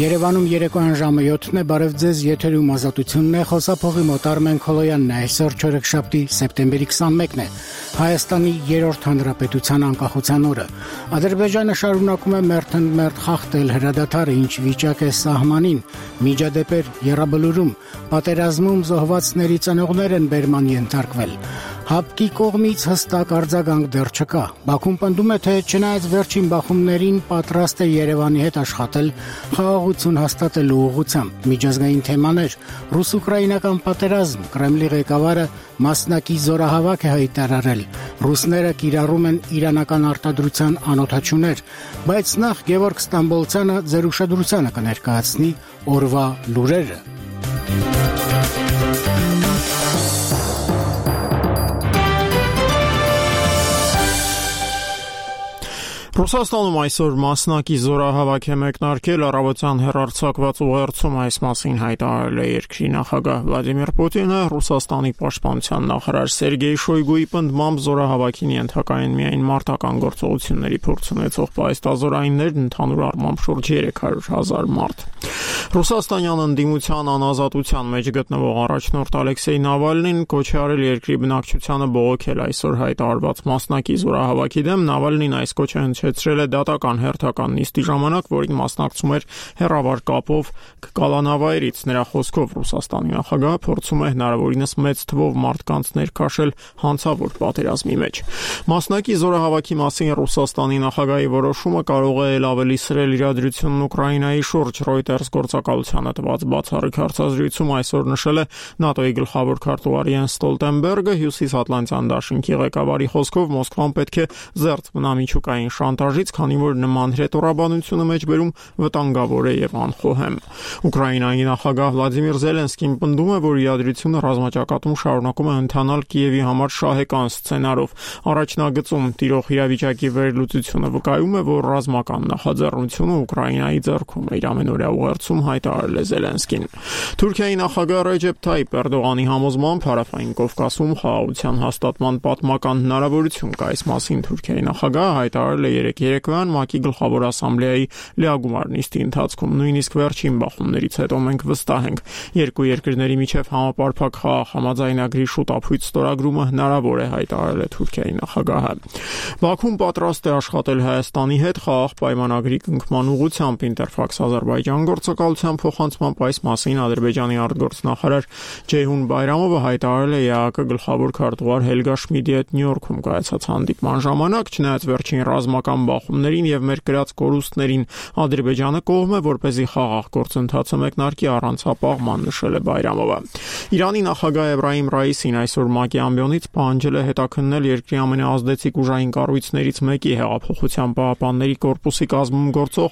Երևանում երեկոյան ժամը 7-ն է, բարև ձեզ, եթերում ազատությունն է, խոսափողի մոտ Արմեն Քոլոյանն է, այսօր չորեքշաբթի սեպտեմբերի 21-ն է, Հայաստանի 3-րդ հանրապետության անկախության օրը։ Ադրբեջանը շարունակում է մերթ խախտել հրադադարը, ինչ վիճակ է սահմանին, միջադեպեր Եռաբլուրում, պատերազմում զոհվածների ծնողներ են բերման ենթարկվել։ Հապկի կողմից հստակ արձագանք դեռ չկա։ Բաքուն պնդում է, թե չնայած վերջին բախումներին պատրաստ է Երևանի հետ աշխատել խաղաղություն հաստատելու ուղղությամբ։ Միջազգային թեմաներ, ռուս-ուկրաինական պատերազմ, Կրեմլի ղեկավարը մասնակի զորահավաք է հայտարարել։ Ռուսները կիրառում են իրանական արտադրության անօդաչուներ, բայց նախ Գևորգ Ստամբոլցյանը ձեր ուշադրությանը կներկայացնի օրվա լուրերը։ Ռուսաստանում այսօր մասնակի զորահավաք է մեկնարկել, առավոտյան հեռարձակված ուղերձում այս մասին հայտարարել է երկրի նախագահ Վլադիմիր Պուտինը, Ռուսաստանի պաշտպանության նախարար Սերգեյ Շոյգուի պնդմամբ զորահավաքին ենթակային միայն մարտական գործողությունների փորձ ունեցող պայստազորայիններն, ընդհանուր առմամբ շուրջ 300,000 մարդ։ Ռուսաստանյան ընդդիմության անազատության մեջ գտնվող առաջնորդ Ալեքսեյ Նավալնին կոչ է արել երկրի բնակչությանը բողոքել այսօր հայտարարված մասնակի զորահավաքի դեմ։ Նավալնին այս կոչը հնչեցրել է դատական հերթական նիստի ժամանակ, որին մասնակցում էր հեռավար կապով Կալանավայրից։ Նրա խոսքով Ռուսաստանի նախագահը փորձում է հնարավորինս մեծ թվով մարդկանց ներքաշել հանցավոր պատերազմի մեջ։ Մասնակի զորահավաքի մասին Ռուսաստանի նախագահի որոշումը կարող է ավելի սրել իրադրությունն Ուկրաինայի շուրջ։ Reuters գործակալությանը տված բացառիկ հարցազրույցում այսօր նշել է ՆԱՏՕ-ի գլխավոր քարտուղար Յենս Ստոլտենբերգը։ Հյուսիսատլանտյան դաշինքի ղեկավարի խոսքով Մոսկվան պետք է զերծ մնա միջուկային շանտաժից, քանի որ նման հրետորաբանությունը մեջբերում վտանգավոր է եւ անխոհեմ։ Ուկրաինայի նախագահ Վլադիմիր Զելենսկին պնդում է, որ իրադրությունը ռազմաճակատում շարունակում է ընթանալ Կիևի համար շահեկան սցենարով։ Առաջնագծում տիրող իրավիճակի վերլուծությունը վկայում է, որ ռազմական նախաձեռնությունը Ուկրաինայի ձեռքում է, իր ամենօրյա ուղերձում հայտարարել է Զելենսկին։ Թուրքիայի նախագահ Ռեջեփ Թայիփ Էրդողանի համոզմամբ Հարավային Կովկասում խաղաղության հաստատման պատմական հնարավորություն կա։ Այս մասին Թուրքիայի նախագահը հայտարարել է երեկոյան ՄԱԿ-ի գլխավոր ասամբլեայի լիագումար նիստի ընթացքում։ Նույնիսկ վերջին բախումներից հետո մենք վստահ ենք, երկու երկրների միջև համապարփակ խաղաղ համաձայնագրի շուտափույթ ստորագրումը հնարավոր է, հայտարարել է Թուրքիայի նախագահը։ Բաքուն պատրաստ է աշխատել Հայաստանի հետ խաղաղ պայմանագրի կնքման ուղղությամբ։ Ինտերֆաքս Ադրբեջան գործակալության փոխանցմամբ այս մասին Ադրբեջանի արտգործնախարար Ջեյհուն Բայրամովը հայտարարել է ԵԱԿ գլխավոր քարտուղար Հելգա Շմիդի հետ Նյու-Յորքում կայացած հանդիպման ժամանակ։ Չնայած վերջին ռազմական բախումներին եւ մեր կրած կորուստներին Ադրբեջանը կողմ է, որպեսզի խաղաղ գործընթացը մեկնարկի առանց ապահման, նշել է Բայրամովը։ Իրանի նախագահ Էբրահիմ Ռայիսին այսօր ՄԱԿ-ի ամբիոնից պահանջել է հետաքննել երկրի ամենաազդեցիկ ուժային կառույցներից մեկի Հեղափոխության պահապանների կորպուսի կազմում գործող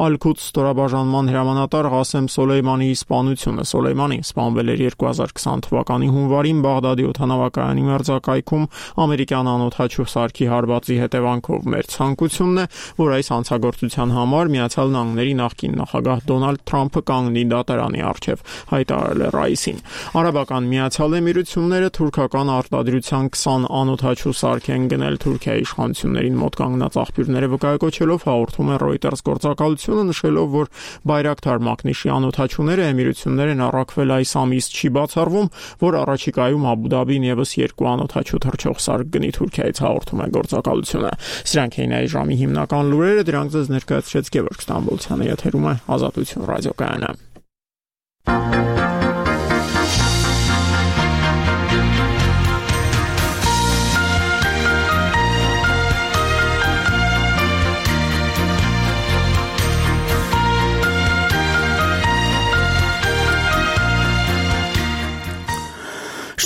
Ալ-Քուդս ստորաբաժանման հրամանատար Ղասեմ Սոլեյմանիի սպանությունը։ Սոլեյմանին սպանվել էր 2020 թվականի հունվարին Բաղդադի օդանավակայանի մերձակայքում ամերիկյան անօդաչու սարքի հարվածի հետևանքով։ Մեր ցանկությունն է, որ այս հանցագործության համար Միացյալ Նահանգների նախկին նախագահ Դոնալդ Թրամփը կանգնի դատարանի առջև, հայտարարել է Ռայիսին։ Արաբական Միացյալ Էմիրությունները թուրքական արտադրության 20 անօդաչու սարք են գնել Թուրքիայի իշխանություններին մոտ կանգնած աղբյուրները վկայակոչելով հաղորդում է Reuters գործակալությունը, նշելով, որ Բայրակթար մակնիշի անօդաչուները Էմիրություններ են առաքվել այս ամիս, չի բացառվում, որ առաջիկայում Աբու Դաբին եւս 2 անօդաչու թռչող սարք գնի Թուրքիայից, հաղորդում է գործակալությունը։ Սրանք էին այս ժամի հիմնական լուրերը, դրանք ձեզ ներկայացրեց Գևորգ Ստամբոլցյանը, եթերում է Ազատություն ռադիոկայանը։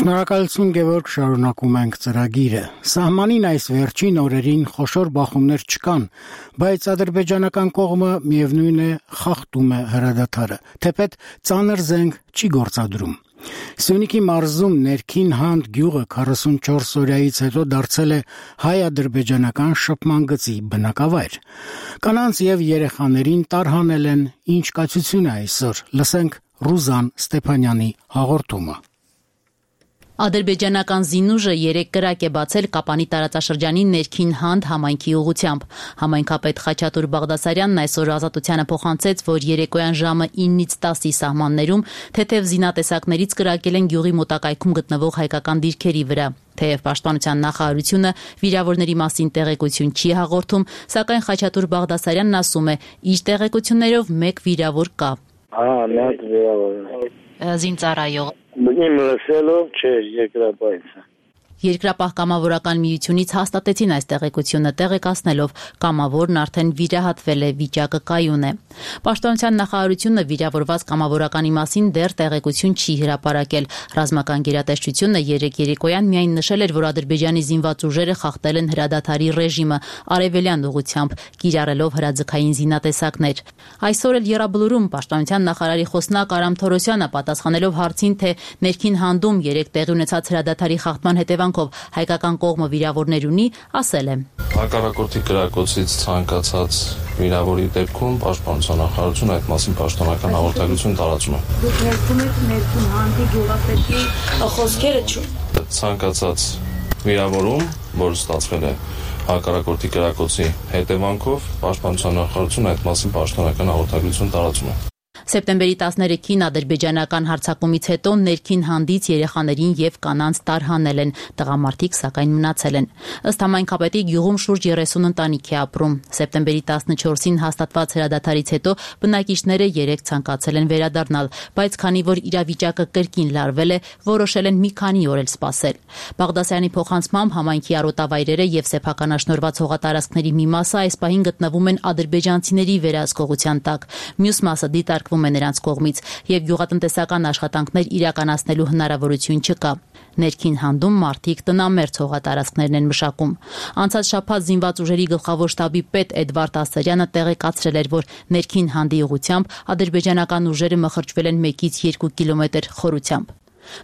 Շնորհակալություն Գևորգ, շարունակում ենք ծրագիրը։ Սահմանին այս վերջին օրերին խոշոր բախումներ չկան, բայց ադրբեջանական կողմը միևնույն է խախտում է հրադադարը, թեպետ ծանր զենք չի գործադրում։ Սյունիքի մարզում ներքին Հանդ գյուղը 44 օրյայից հետո դարձել է հայ-ադրբեջանական շփման գծի բնակավայր։ Կանանց եւ երեխաներին տարհանել են ինչ կացություն է այսօր։ Լսենք Ռուզան Ստեփանյանի հաղորդումը։ Ադրբեջանական զինուժը 3 կրակ է բացել Կապանի տարածաշրջանի ներքին Հանդ համայնքի ուղղությամբ։ Համայնքապետ Խաչատուր Բաղդասարյանն այսօր Ազատությանը փոխանցեց, որ երեկոյան ժամը 9-ից 10-ի սահմաններում թեթև զինատեսակներից կրակել են գյուղի մոտակայքում գտնվող հայկական դիրքերի վրա։ Թեև Պաշտպանության նախարարությունը վիրավորների մասին տեղեկություն չի հաղորդում, սակայն Խաչատուր Բաղդասարյանն ասում է, իր տեղեկություններով 1 վիրավոր կա։ Միակ վիրավոր։ Զինծառայող։ Իմ լսելով չէ, երկրապահից։ Երկրապահ կամավորական միությունից հաստատեցին այս տեղեկությունը, տեղեկացնելով կամավորն արդեն վիրահատվել է, վիճակը կայուն է։ Պաշտպանության նախարարությունը վիրավորված կամավորականի մասին դեռ տեղեկություն չի հրապարակել։ Ռազմական գերատեսչությունը երեկոյան միայն նշել էր, որ Ադրբեջանի զինված ուժերը խախտել են հրադադարի ռեժիմը արևելյան ուղղությամբ, կիրառելով հրաձգային զինատեսակներ։ Այսօր էլ Եռաբլուրում Պաշտպանության նախարարի խոսնակ Արամ Թորոսյանը պատասխանելով հարցին, թե ներքին Հանդում 3 տեղի ունեցած հրադադարի խախտման հետևանքով հայկական կողմը վիրավորներ ունի, ասել է. Հակառակորդի կրակոցից ցանկացած վիրավորի դեպքում Պաշտպանության նախարարությունը այդ մասին պաշտոնական հաղորդագրություն տարածում է։ Դուք ներկում եք ներքին Հանդի գյուղապետի խոսքերը ցանկացած վիրավորում, որ ստացվել է հակառակորդի կրակոցի հետևանքով Պաշտպանության նախարարությունը այդ մասին պաշտոնական հաղորդագրություն տարածում է։ Սեպտեմբերի 13-ին ադրբեջանական հարձակումից հետո ներքին Հանդից երեխաներին եւ կանանց տարհանել են, տղամարդիկ սակայն մնացել են։ Ըստ համայնքապետի գյուղում շուրջ 30 ընտանիք է ապրում։ Սեպտեմբերի 14-ին հաստատված հրադադարից հետո բնակիչները 3 ցանկացել են վերադառնալ, բայց քանի որ իրավիճակը կրկին լարվել է, որոշել են մի քանի օր էլ սպասել։ Բաղդասարյանի փոխանցմամբ համայնքի արոտավայրերը եւ սեփականաշնորհված հողատարածքների մի մասը այս պահին գտնվում են ադրբեջանցիների վերահսկողության տակ։ Մյուս մասը դիտարկվում է նրանց կողմից եւ գյուղատնտեսական աշխատանքներ իրականացնելու հնարավորություն չկա։ Ներքին Հանդում մարդիկ տնամերձ հողատարածքներն են մշակում։ Անցած շաբաթ զինված ուժերի գլխավոր շտաբի պետ Էդվարդ Ասարյանը տեղեկացրել էր, որ ներքին Հանդի ուղղությամբ ադրբեջանական ուժերը մխրճվել են 1-ից 2 կիլոմետր խորությամբ։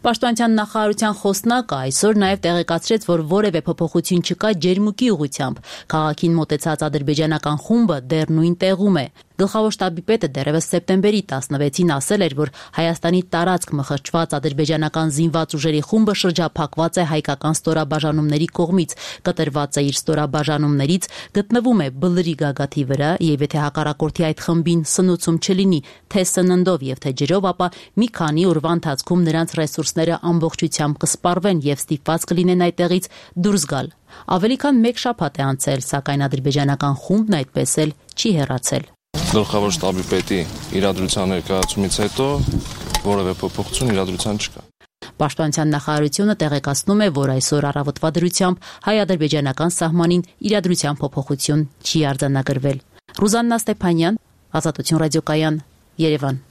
Պաշտպանության նախարարության խոսնակը այսօր նաև տեղեկացրեց, որ որևէ փոփոխություն չկա Ջերմուկի ուղղությամբ։ Քաղաքին մոտեցած ադրբեջանական խումբը դեռ նույն տեղում է։ Գլխավոր շտաբի պետը դեռևս սեպտեմբերի 16-ին ասել էր, որ Հայաստանի տարածք մխրճված ադրբեջանական զինված ուժերի խումբը շրջափակված է հայկական ստորաբաժանումների կողմից, կտրված է իր ստորաբաժանումներից, գտնվում է Բլրի գագաթի վրա եւ եթե հակառակորդի այդ խմբին սնուցում չլինի թե սննդով եւ թե ջրով, ապա մի քանի օրվա ընթացքում նրանց ռեսուրսները ամբողջությամբ կսպառվեն եւ ստիպված կլինեն այդտեղից դուրս գալ։ Ավելի քան 1 շաբաթ է անցել, սակայն ադրբեջանական խումբն այդպես էլ չի հեռացել։ Գլխավոր շտաբի պետի իրադրության ներկայացումից հետո որևէ փոփոխություն իրադրության չկա։ Պաշտպանության նախարարությունը տեղեկացնում է, որ այսօր առավոտվա դրությամբ հայ-ադրբեջանական սահմանին իրադրության փոփոխություն չի արձանագրվել։ Ռուզաննա Ստեփանյան, Ազատություն ռադիոկայան, Երևան։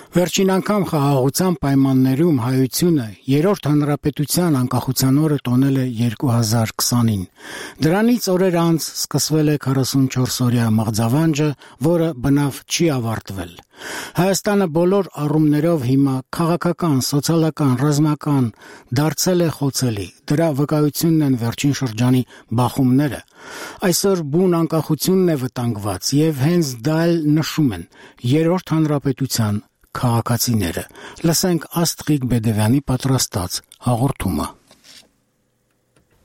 Վերջին անգամ խաղաղության պայմաններում հայությունը երրորդ հանրապետության անկախության օրը տոնել է 2020-ին։ Դրանից օրեր անց սկսվել է 44-օրյա մղձավանջը, որը բնավ չի ավարտվել։ Հայաստանը բոլոր առումներով հիմա քաղաքական, սոցիալական, ռազմական դարձել է խոցելի։ Դրա վկայությունն են վերջին շրջանի բախումները։ Այսօր բուն անկախությունն է վտանգված եւ հենց դա էլ նշում են երրորդ հանրապետության քաղաքացիները։ Լսենք Աստղիկ Բեդևյանի պատրաստած հաղորդումը։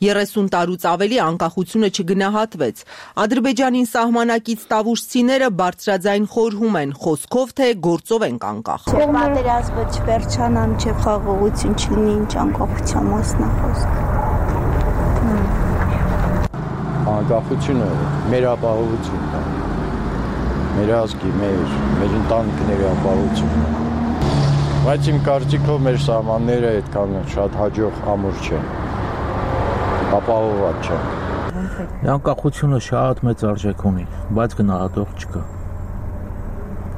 30 տարուց ավելի անկախությունը չգնահատվեց։ Ադրբեջանին սահմանակից տավուշցիները բարձրաձայն խորհում են, խոսքով թե գործով են անկախ։ Պատերազմը չվերջանա, մինչև խաղաղություն չլինի, ինչ անկախության մասն է խոսքը։ Անկախությունը մեր ապահովությունն է։ Մեր ազգի, մեր ընտանիքների ապահովությունն է։ Բայց իմ կարծիքով մեր սահմանները այդքան շատ հաջող ամուր չեն։ Ապահովված չեն։ Անկախությունը շատ մեծ արժեք ունի, բայց գնահատող չկա։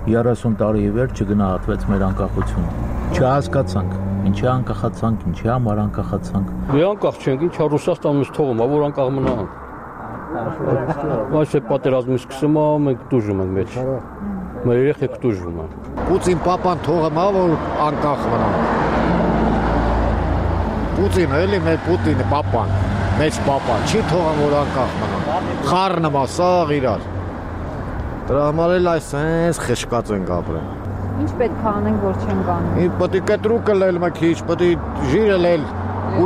30 տարի ի վեր չգնահատվեց մեր անկախությունը։ Չհասկացանք, ինչի անկախացանք, ինչի համար անկախացանք։ Մենք անկախ չենք, ինչա Ռուսաստանից թողում, որ անկախ մնանք։ Այս պատերազմը սկսում է, մենք դժում ենք մեջ։ Մեր երեխեք դժում են։ Պուտին պապան թողում է, որ անկախ մնան։ Պուտինը, էլի մեր Պուտինը պապան։ մեծ պապա, չի թողան, որ անկախ մնան։ Խառը մասաղ իրար։ Դրա համար էլ այսպես խշկած ենք ապրել։ Ինչ պետք է անենք, որ չենք անում։ Պետք է կտրուկը լել մի քիչ, պետք է ժիրը լել,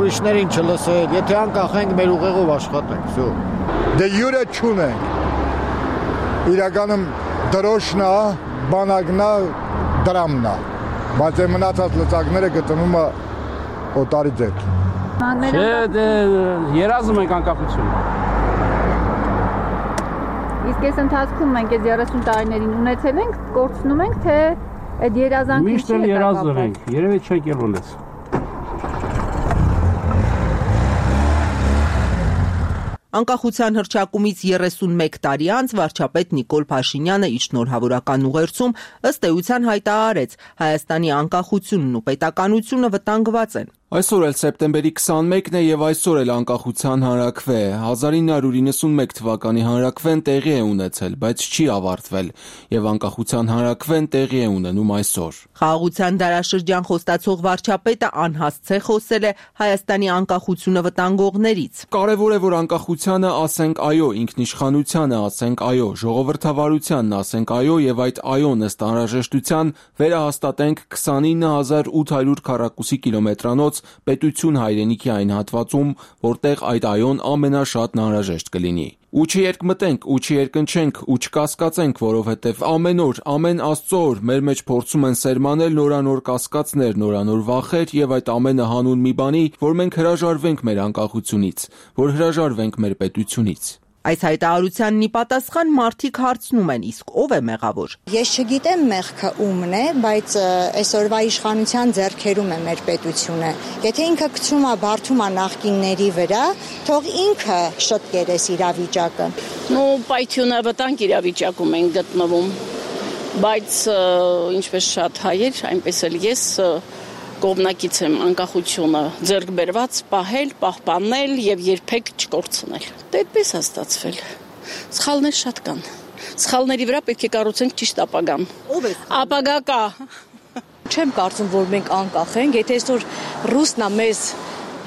ուրիշներին չլսել, եթե անկախ ենք, մեր ուղեղով աշխատենք, всё։ Դե յուրը չունենք։ Իրականում դրոշն է, բանակն է, դրամն է, բայց այն մնացած լծակները գտնվում է օտարի ձեռք։ Չէ, դե երազում ենք անկախություն։ Իսկ այս ընթացքում մենք այս 30 տարիներին ունեցել ենք, կորցնում ենք, թե այդ երազանքին միշտ էլ երազել ենք, երևի չենք էլ ունեցել։ Անկախության հռչակումից 31 տարի անց վարչապետ Նիկոլ Փաշինյանը իր շնորհավորական ուղերձում ըստ էության հայտարարեց Հայաստանի անկախությունն ու պետականությունը վտանգված են։ Այսօր էլ սեպտեմբերի 21-ն է եւ այսօր էլ անկախության հանրաքվե է։ 1991 թվականի հանրաքվեն տեղի է ունեցել, բայց չի ավարտվել եւ անկախության հանրաքվեն տեղի է ունենում այսօր։ Խաղաղության դարաշրջան խոստացող վարչապետը անհասցե խոսել է Հայաստանի անկախությունը վտանգողներից։ Կարևոր է, որ անկախությանը ասենք այո, ինքնիշխանությանը ասենք այո, ժողովրդավարությանն ասենք այո եւ այդ այոն ըստ անհրաժեշտության վերահաստատենք 29800 քառակուսի կիլոմետրանոց պետություն հայրենիքի այն հատվածում, որտեղ այդ այոն ամենաշատն անհրաժեշտ կլինի։ Ու չերկմտենք, ու չերկնչենք, ու չկասկածենք, որովհետև ամեն օր, ամեն Աստծո օր մեր մեջ փորձում են սերմանել նորանոր կասկածներ, նորանոր վախեր եւ այդ ամենը հանուն մի բանի, որ մենք հրաժարվենք մեր անկախությունից, որ հրաժարվենք մեր պետությունից։ Այս հայտարարությանն ի պատասխան մարդիկ հարցնում են, իսկ ով է մեղավոր։ Ես չգիտեմ մեղքը ումն է, բայց այսօրվա իշխանության ձեռքերում է մեր պետությունը։ Եթե ինքը գցում է բարդում է նախկինների վրա, թող ինքը շտկեր այս իրավիճակը։ Պայթյունը վտանգ իրավիճակում են գտնվում, բայց ինչպես շատ հայեր, այնպես էլ ես կողմնակից եմ անկախությունը ձեռք բերված, պահել, պահպանել եւ երբեք չկորցնել։ Դե այդպես է ստացվել։ Սխալներ շատ կան։ Սխալների վրա պետք է կառուցենք ճիշտ ապագան։ Ո՞վ է։ Ապագա կա։ Չեմ կարծում, որ մենք անկախ ենք, եթե այսօր ռուսնա մեզ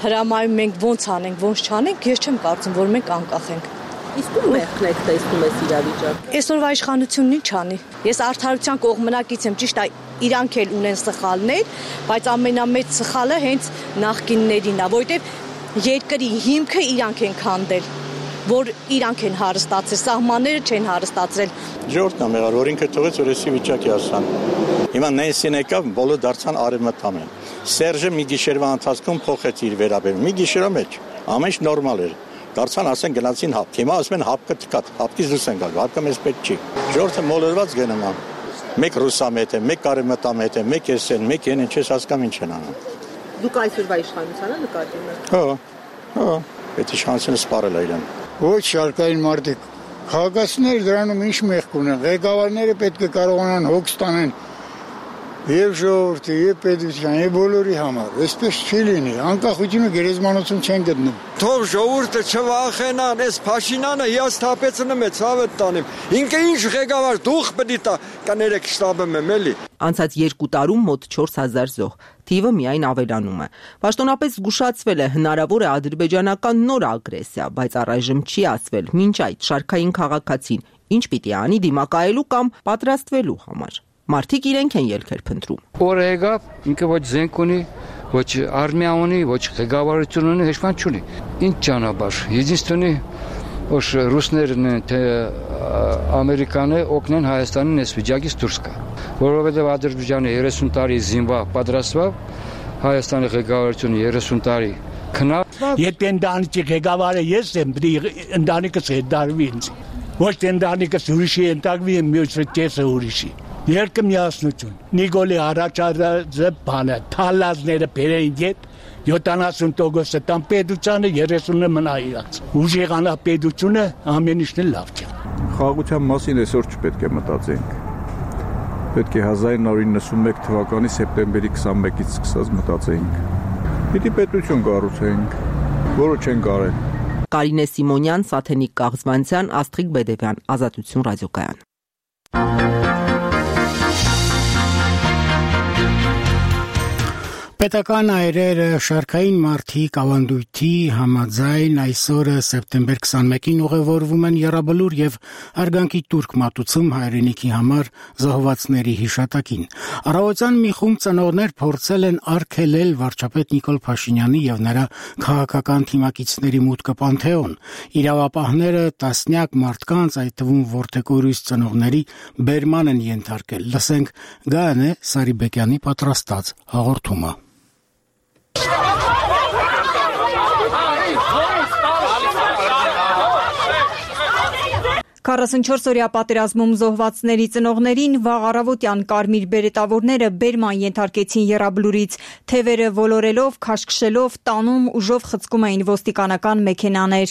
հրամայում մենք ոնց անենք, ոնց չանենք, ես չեմ կարծում, որ մենք անկախ ենք։ Իսկ ում մեղքն եք տեսնում այս իրավիճակը։ Այսօրվա իշխանությունն ինչ անի։ Ես արդարության կողմնակից եմ, ճիշտ է, իրանք էլ ունեն սխալներ, բայց ամենամեծ սխալը հենց նախկիններինն է, որովհետև երկրի հիմքը իրանք են քանդել, որ իրանք են հարստացել, սահմանները չեն հարստացրել։ Ժողովուրդն է մեղավոր, որ ինքը թողեց, որ էսի վիճակի հասան։ Հիմա Նենսին եկավ, բոլորը դարձան արևմտամեն։ Սերժը մի գիշերվա ընթացքում փոխեց իր վերաբերմունքը։ Մի գիշերվա մեջ ամեն ինչ նորմալ էր։ Դարձան ասեն գնացին հապ։ Հիմա ասում են հապկը թքած, հապկից դուրս են գալու, հապկը մեզ պետք չի։ Ժողովուրդը մոլորված գնում է։ Մեկ ռուսամետ է, մեկ արևմտամետ է, մեկ էսեն, մեկ են, ինչես հասկանում ինչ են անում։ Դուք այսօրվա իշխանությանը նկատում եք։ Հա, այդ իշխանությունը սպառել է իրեն։ Ոչ շարքային մարդիկ, քաղաքացիները դրանում ինչ մեղք ունեն, ղեկավարները պետք է կարողանան հոգ ստանեն եւ ժողովրդի, եւ պետության, եւ բոլորի համար։ Այսպես չի լինի, անկախությունը գերեզմանոցում չեն գտնում։ Թող ժողովուրդը չվախենան, այս Փաշինյանը հիասթափեցնում է ցավը տանիմ։ Ինքը ինչ ղեկավար դուխ պետք է տա, կներեք շտաբում եմ էլի։ Անցած 2 տարում մոտ 4000 զոհ, թիվը միայն ավելանում է։ Պաշտոնապես զգուշացվել է հնարավոր է ադրբեջանական նոր ագրեսիա, բայց առայժմ չի ասվել մինչ այդ շարքային քաղաքացին ինչ պիտի անի դիմակայելու կամ պատրաստվելու համար։ Մարդիկ իրենք են ելքեր փնտրում։ Օրը եկավ, ինքը ոչ զենք ունի, ոչ արմիա ունի, ոչ ղեկավարություն ունի, ոչ բան չունի։ Ինչ ճանապարհ։ Единственный որ ռուսներն թե ամերիկանը օգնեն Հայաստանին այս վիճակից դուրս գա։ Որովհետև Ադրբեջանը 30 տարի զինվա պատրաստվավ, Հայաստանի ղեկավարությունը 30 տարի քնավ։ Եթե ընտանիքի ղեկավարը ես եմ, ընտանիքս հետարվի ինձ։ Ոչ թե ընտանիքս ուրիշի ընդագվի եմ, մյուսը կեսը ուրիշի։ Երկը միասնություն։ Նիկոլի առաջադրած բանը, թալազները բերեն յետ 70% տան պետությանը 30-ը մնա իրաց։ Ուժեղանա պետությունը ամեն ինչն լավ չէ։ Խաղաղության մասին այսօր չպետք է մտածենք։ Պետք է 1991 թվականի սեպտեմբերի 21-ից սկսած մտածենք։ Պիտի պետություն կառուցենք, որը չեն կարել։ Կարինե Սիմոնյան, Սաթենիկ Կաղզվանցյան, Աստղիկ Բեդևյան, Ազատություն ռադիոկայան։ Պետական այրերը շարքային մարդիկ ավանդույթի համաձայն այսօրը սեպտեմբեր 21-ին ուղևորվում են եռաբլուր եւ արգանքի տուրք մատուցում հայրենիքի համար զոհվածների հիշատակին։ Առավոտյան մի խումբ ծնողներ փորձել են արգելել վարչապետ Նիկոլ Փաշինյանի եւ նրա քաղաքական թիմակիցների մուտքը Պանթեոն։ Իրավապահները տասնյակ մարդկանց, այդ թվում որդեկորույս ծնողների, բերման են ենթարկել։ Լսենք Գայանե Սարիբեկյանի պատրաստած հաղորդումը։ 44-օրյա պատերազմում զոհվածների ծնողներին վաղ առավոտյան կարմիր բերետավորները բերման ենթարկեցին եռաբլուրից, թևերը ոլորելով, քաշքշելով, տանում ուժով խցկում էին ոստիկանական մեքենաներ։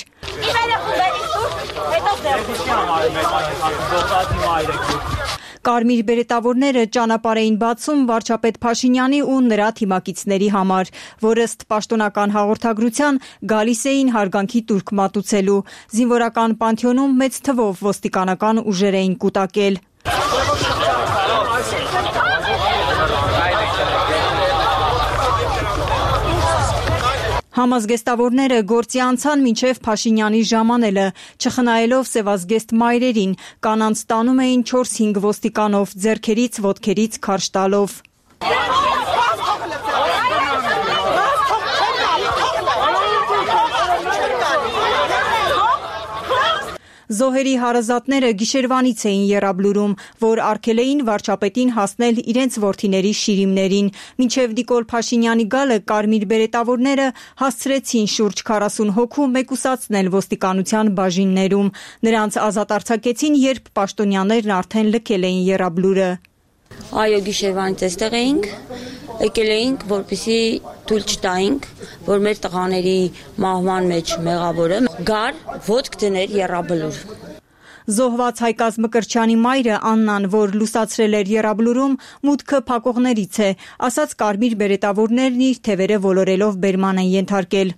Կարմիր բերետավորները ճանապարհ էին բացում վարչապետ Փաշինյանի ու նրա թիմակիցների համար, որ ըստ պաշտոնական հաղորդագրության գալիս էին հարգանքի տուրք մատուցելու։ Զինվորական Պանթեոնում մեծ թվով ոստիկանական ուժեր էին կուտակել։ Համազգեստավորները գործի անցան մինչև Փաշինյանի ժամանելը, չխնայելով սևազգեստ մայրերին, կանանց տանում էին 4-5 ոստիկանով, ձեռքերից, ոտքերից քարշ տալով։ Զոհերի հարազատները գիշերվանից էին եռաբլուրում, որ արգելեին վարչապետին հասնել իրենց որդիների շիրիմներին։ Մինչև Նիկոլ Փաշինյանի գալը կարմիր բերետավորները հասցրեցին շուրջ 40 հոգու մեկուսացնել ոստիկանության բաժիններում։ Նրանց ազատ արձակեցին, երբ պաշտոնյաներն արդեն լքել էին եռաբլուրը։ Այո, գիշերվանից այստեղ էինք, եկել էինք, որպեսզի թույլ չտայինք, որ մեր տղաների մահվան մեջ մեղավորը գար ոտք դներ եռաբլուր։ Զոհված Հայկազ Մկրտչյանի մայրը Աննան, որ լուսացրել էր եռաբլուրում, մուտքը փակողներից է, ասաց կարմիր բերետավորներն իր թևերը ոլորելով բերման են ենթարկել։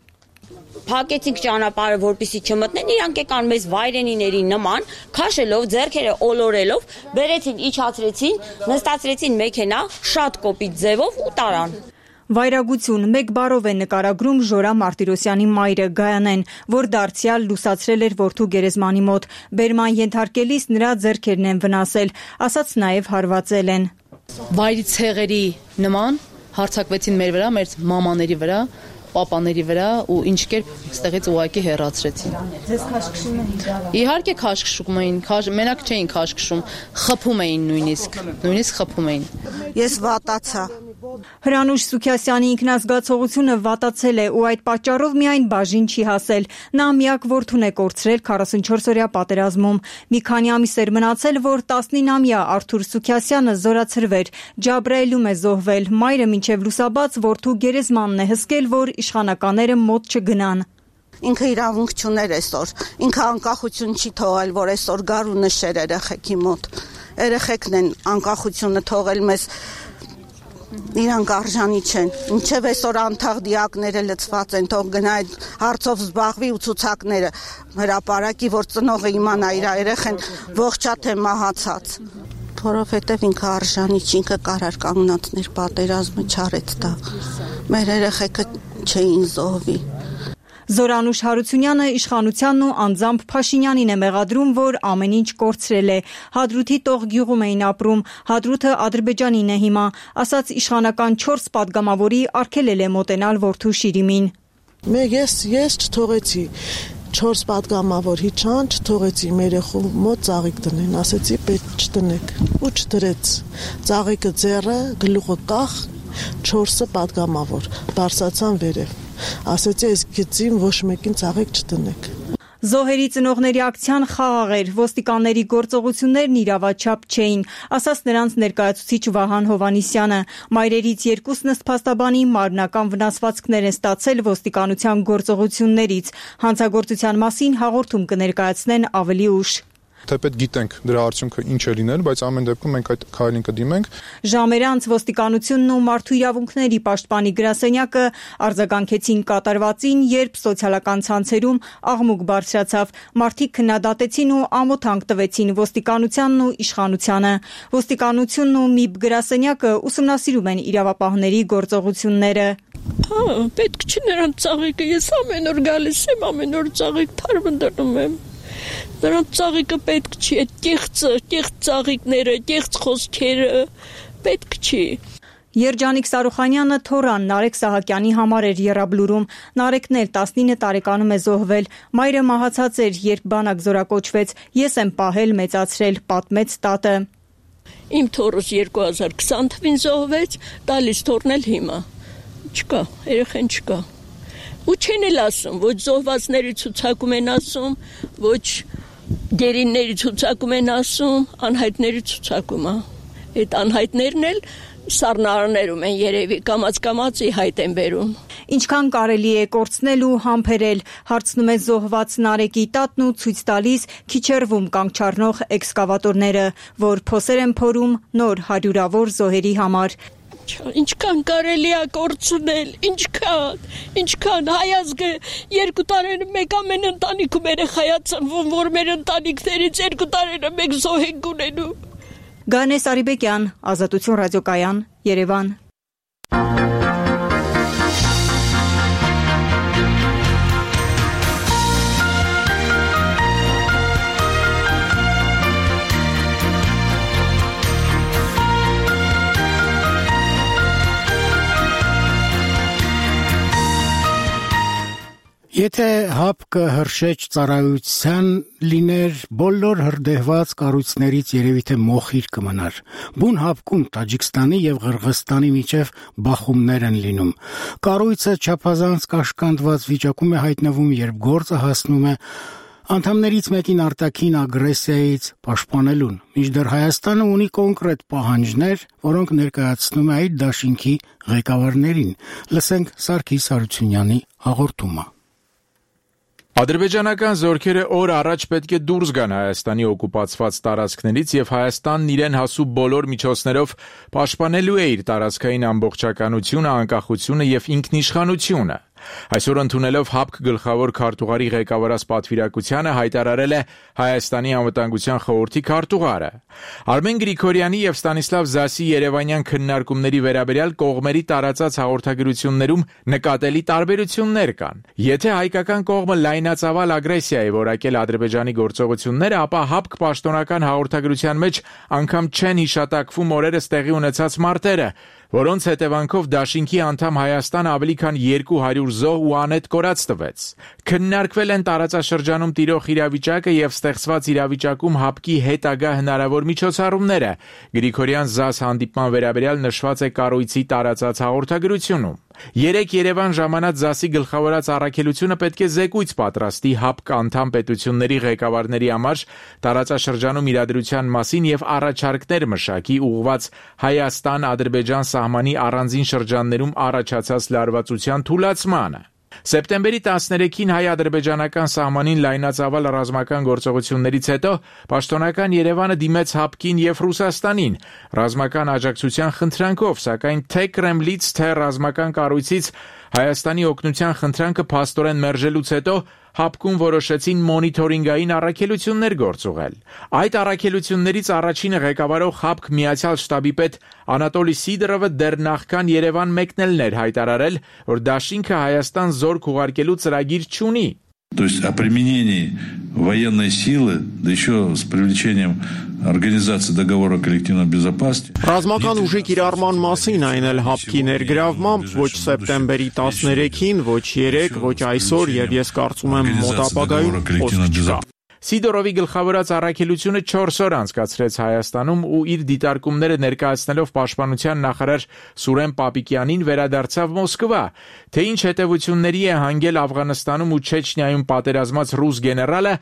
Փակեցինք ճանապարհը, որպեսզի չմտնեն, իրանք եկան մեզ վայրենիների նման, քաշելով, ձեռքերը ոլորելով, բերեցին, իջացրեցին, նստացրեցին մեքենա, շատ կոպիտ ձևով ու տարան։ Վայրագություն մեկ բառով է նկարագրում Ժորա Մարտիրոսյանի մայրը Գայանեն, որ դարձյալ լուսացրել էր որդու գերեզմանի մոտ։ Բերման ենթարկելիս նրա ձեռքերն են վնասել, ասաց նաև հարվածել են։ Վայրի ցեղերի նման հարձակվեցին մեր վրա, մեր մամաների վրա, պապաների վրա ու ինչ կերպ ստեղից ուղակի հեռացրեցին։ Ձեզ քաշքշում են իրավա։ Իհարկե քաշքշում էին, մենակ չէին քաշքշում, խփում էին նույնիսկ խփում էին։ Ես վատացա։ Հրանուշ Սուքիասյանի ինքնազգացողությունը վատացել է ու այդ պատճառով միայն բաժին չի հասել։ Նա միակ որդուն է կորցրել 44-օրյա պատերազմում։ Մի քանի ամիս էր մնացել, որ 19-ամյա Արթուր Սուքիասյանը զորացրվեր, Ջաբրայելում է զոհվել։ Մայրը մինչև լուսաբաց որդու գերեզմանն է հսկել, որ իշխանականները մոտ չգնան։ Ինքը իրավունք չուներ այսօր, ինքը անկախություն չի թողել, որ այսօր գար ու նշեր երեխեքի մոտ։ Երեխեքն են անկախությունը թողել մեզ, իրանք արժանի չեն։ Ինչև այսօր անթաղ դիակները լցված են, թող գնա այդ հարցով զբաղվի ու ցուցակները հրապարակի, որ ծնողը իմանա իր երեխեն ողջա թե մահացած։ Որովհետև ինքը արժանի չի, ինքը կարար կանգնածներ պատերազմը չարեց դա։ Մեր երեխեքը չէին զոհվի։ Զորանուշ Հարությունյանը իշխանությանն ու անձամբ Փաշինյանին է մեղադրում, որ ամեն ինչ կորցրել է։ Հադրութի տող գյուղում էին ապրում, Հադրութը Ադրբեջանին է հիմա, ասաց իշխանական 4 պատգամավորի արգելել է մոտենալ որդու շիրիմին։ Ես չթողեցի 4 պատգամավոր հիչան, չթողեցի մեր երեխու մոտ ծաղիկ դնեն, ասեցի պետք չտնեք ու չդրեց։ Ծաղիկը ձեռը, գլուխը կախ, 4-ը պատգամավոր, բարսացան վերև։ Ասեցի այս գծին ոչ մեկին ծաղիկ չտնեք։ Զոհերի ծնողների ակցիան խաղաղ էր, ոստիկանների գործողություններն իրավաչափ չէին, ասաց նրանց ներկայացուցիչ Վահան Հովանիսյանը։ Մայրերից երկուսն ըստ փաստաբանի մարմնական վնասվածքներ են ստացել ոստիկանության գործողություններից։ Հանցագործության մասին հաղորդում կներկայացնեն ավելի ուշ։ Թեպետ գիտենք դրա արդյունքը ինչ է լինել, բայց ամեն դեպքում մենք այդ քայլին կդիմենք։ Ժամեր անց ոստիկանությունն ու մարդու իրավունքների պաշտպանի գրասենյակը արձագանքեցին կատարվածին, երբ սոցիալական ցանցերում աղմուկ բարձրացավ, մարդիկ քննադատեցին ու ամոթանք տվեցին ոստիկանությանն ու իշխանությանը։ Ոստիկանությունն ու ՄԻԲ գրասենյակը ուսումնասիրում են իրավապահների գործողությունները։ Պետք չի նրանց ծաղիկը, ես ամեն օր գալիս եմ, ամեն օր ծաղիկ թարմ դնում եմ։ Նրանց ծաղիկը պետք չի, այդ կեղծ ծաղիկները, կեղծ խոսքերը պետք չի։ Երջանիկ Սարուխանյանը թորան Նարեկ Սահակյանի համար էր եռաբլուրում։ Նարեկն էլ 19 տարեկանում է զոհվել։ Մայրը մահացած էր, երբ բանակ զորակոչվեց։ Ես եմ պահել, մեծացրել, պատմեց տատը։ Իմ թոռս 2020 թվին զոհվեց, տալիս թորն էլ հիմա։ Չկա, երեխեն չկա։ Ու չեն էլ ասում, ոչ զոհվածների ցուցակում են ասում, ոչ գերինների ցուցակում են ասում, անհայտների ցուցակում է։ Այդ անհայտներն էլ սառնարաններում են երևի, կամաց-կամացի հայտ են բերում։ Ինչքան կարելի է կորցնել ու համբերել, հարցնում է զոհված Նարեկի տատն ու ցույց տալիս Քիչերվում կանգ չառնող էքսկավատորները, որ փոսեր են փորում նոր հարյուրավոր զոհերի համար։ Ինչքան կարելի է կորցնել, ինչքան հայազգը 2 տարին մեկ ամեն ընտանիքում երեխայա ծնվում, որ մեր ընտանիքներից 2 տարին մեկ զոհ ենք ունենում։ Գանես Արիբեկյան, Ազատություն ռադիոկայան, Երևան։ Եթե ՀԱՊԿ հրշեջ ծառայության լիներ, բոլոր հրդեհված կառույցներից երևի թե մոխիր կմնար։ Բուն ՀԱՊԿ-ում Տաջիկստանի եւ Ղրղստանի միջև բախումներ են լինում։ Կառույցը չափազանց կաշկանդված վիճակում է հայտնվում, երբ գործը հասնում է անդամներից մեկին արտաքին ագրեսիայից պաշտպանելուն։ Մինչդեռ Հայաստանը ունի կոնկրետ պահանջներ, որոնք ներկայացնում է այդ դաշինքի ղեկավարներին։ Լսենք Սարգիս Հարությունյանի հաղորդումը։ Ադրբեջանական զորքերը օր առաջ պետք է դուրս գան Հայաստանի օկուպացված տարածքներից եւ Հայաստանն իրեն հասու բոլոր միջոցներով պաշտպանելու է իր տարածքային ամբողջականությունը, անկախությունը եւ ինքնիշխանությունը։ Այսօր ընդունելով ՀԱՊԿ գլխավոր քարտուղարի ղեկավարած պատվիրակությանը հայտարարել է Հայաստանի անվտանգության խորհրդի քարտուղարը։ Արմեն Գրիգորյանի եւ Ստանիսլավ Զասի երևանյան քննարկումների վերաբերյալ կողմերի տարածած հաղորդագրություններում նկատելի տարբերություններ կան։ Եթե հայկական կողմը լայնածավալ ագրեսիա է որակել Ադրբեջանի գործողությունները, ապա ՀԱՊԿ պաշտոնական հաղորդագրության մեջ անգամ չեն հիշատակվում օրերս տեղի ունեցած մարտերը, որոնց հետևանքով դաշինքի անդամ Հայաստան ավելի քան 200 զոհ ու անետ կորած տվեց։ Քննարկվել են տարածաշրջանում տիրող իրավիճակը եւ ստեղծված իրավիճակում ՀԱՊԿ-ի հետագա հնարավոր միջոցառումները։ Գրիգորյան Զաս հանդիպման վերաբերյալ նշված է կառույցի տարածած հաղորդագրությունում։ Երեկ Երևան ժամանած Զասի գլխավորած առաքելությունը պետք է զեկույց պատրաստի ՀԱՊԿ անդամ պետությունների ղեկավարների համար տարածաշրջանում իրադրության մասին եւ առաջարկներ մշակի ուղղված Հայաստան-Ադրբեջան սահմանի առանձին շրջաններում առաջացած լարվածության թուլացմանը։ Սեպտեմբերի 13-ին հայ-ադրբեջանական սահմանին լայնածավալ ռազմական գործողություններից հետո պաշտոնական Երևանը դիմեց ՀԱՊԿ-ին եւ Ռուսաստանին ռազմական աջակցության խնդրանքով, սակայն թե Կրեմլից, թե ռազմական կառույցից Հայաստանի օգնության խնդրանքը փաստորեն մերժելուց հետո ՀԱՊԿ-ում որոշեցին մոնիթորինգային առաքելություններ գործուղել։ Այդ առաքելություններից առաջինը ղեկավարող ՀԱՊԿ Միացյալ շտաբի պետ Անատոլի Սիդորովը դեռ նախքան Երևան մեկնելն էր հայտարարել, որ դաշինքը Հայաստան զորք ուղարկելու ծրագիր չունի։ То есть о применении военной силы, да еще с привлечением организации договора коллективной безопасности. Ռազմական ուժի կիրառման մասին այն էլ ՀԱՊԿ-ի ներգրավմամբ ոչ սեպտեմբերի 13-ին, ոչ 3, ոչ այսօր եւ ես կարծում եմ մոտ ապագայում խոսք չկա։ Սիդորովի գլխավորած առաքելությունը 4 օր անցկացրեց Հայաստանում ու իր դիտարկումները ներկայացնելով պաշտպանության նախարար Սուրեն Պապիկյանին վերադարձավ Մոսկվա, թե ինչ հետևությունների է հանգել Աֆղանստանում ու Չեչնիայում պատերազմած ռուս գեներալը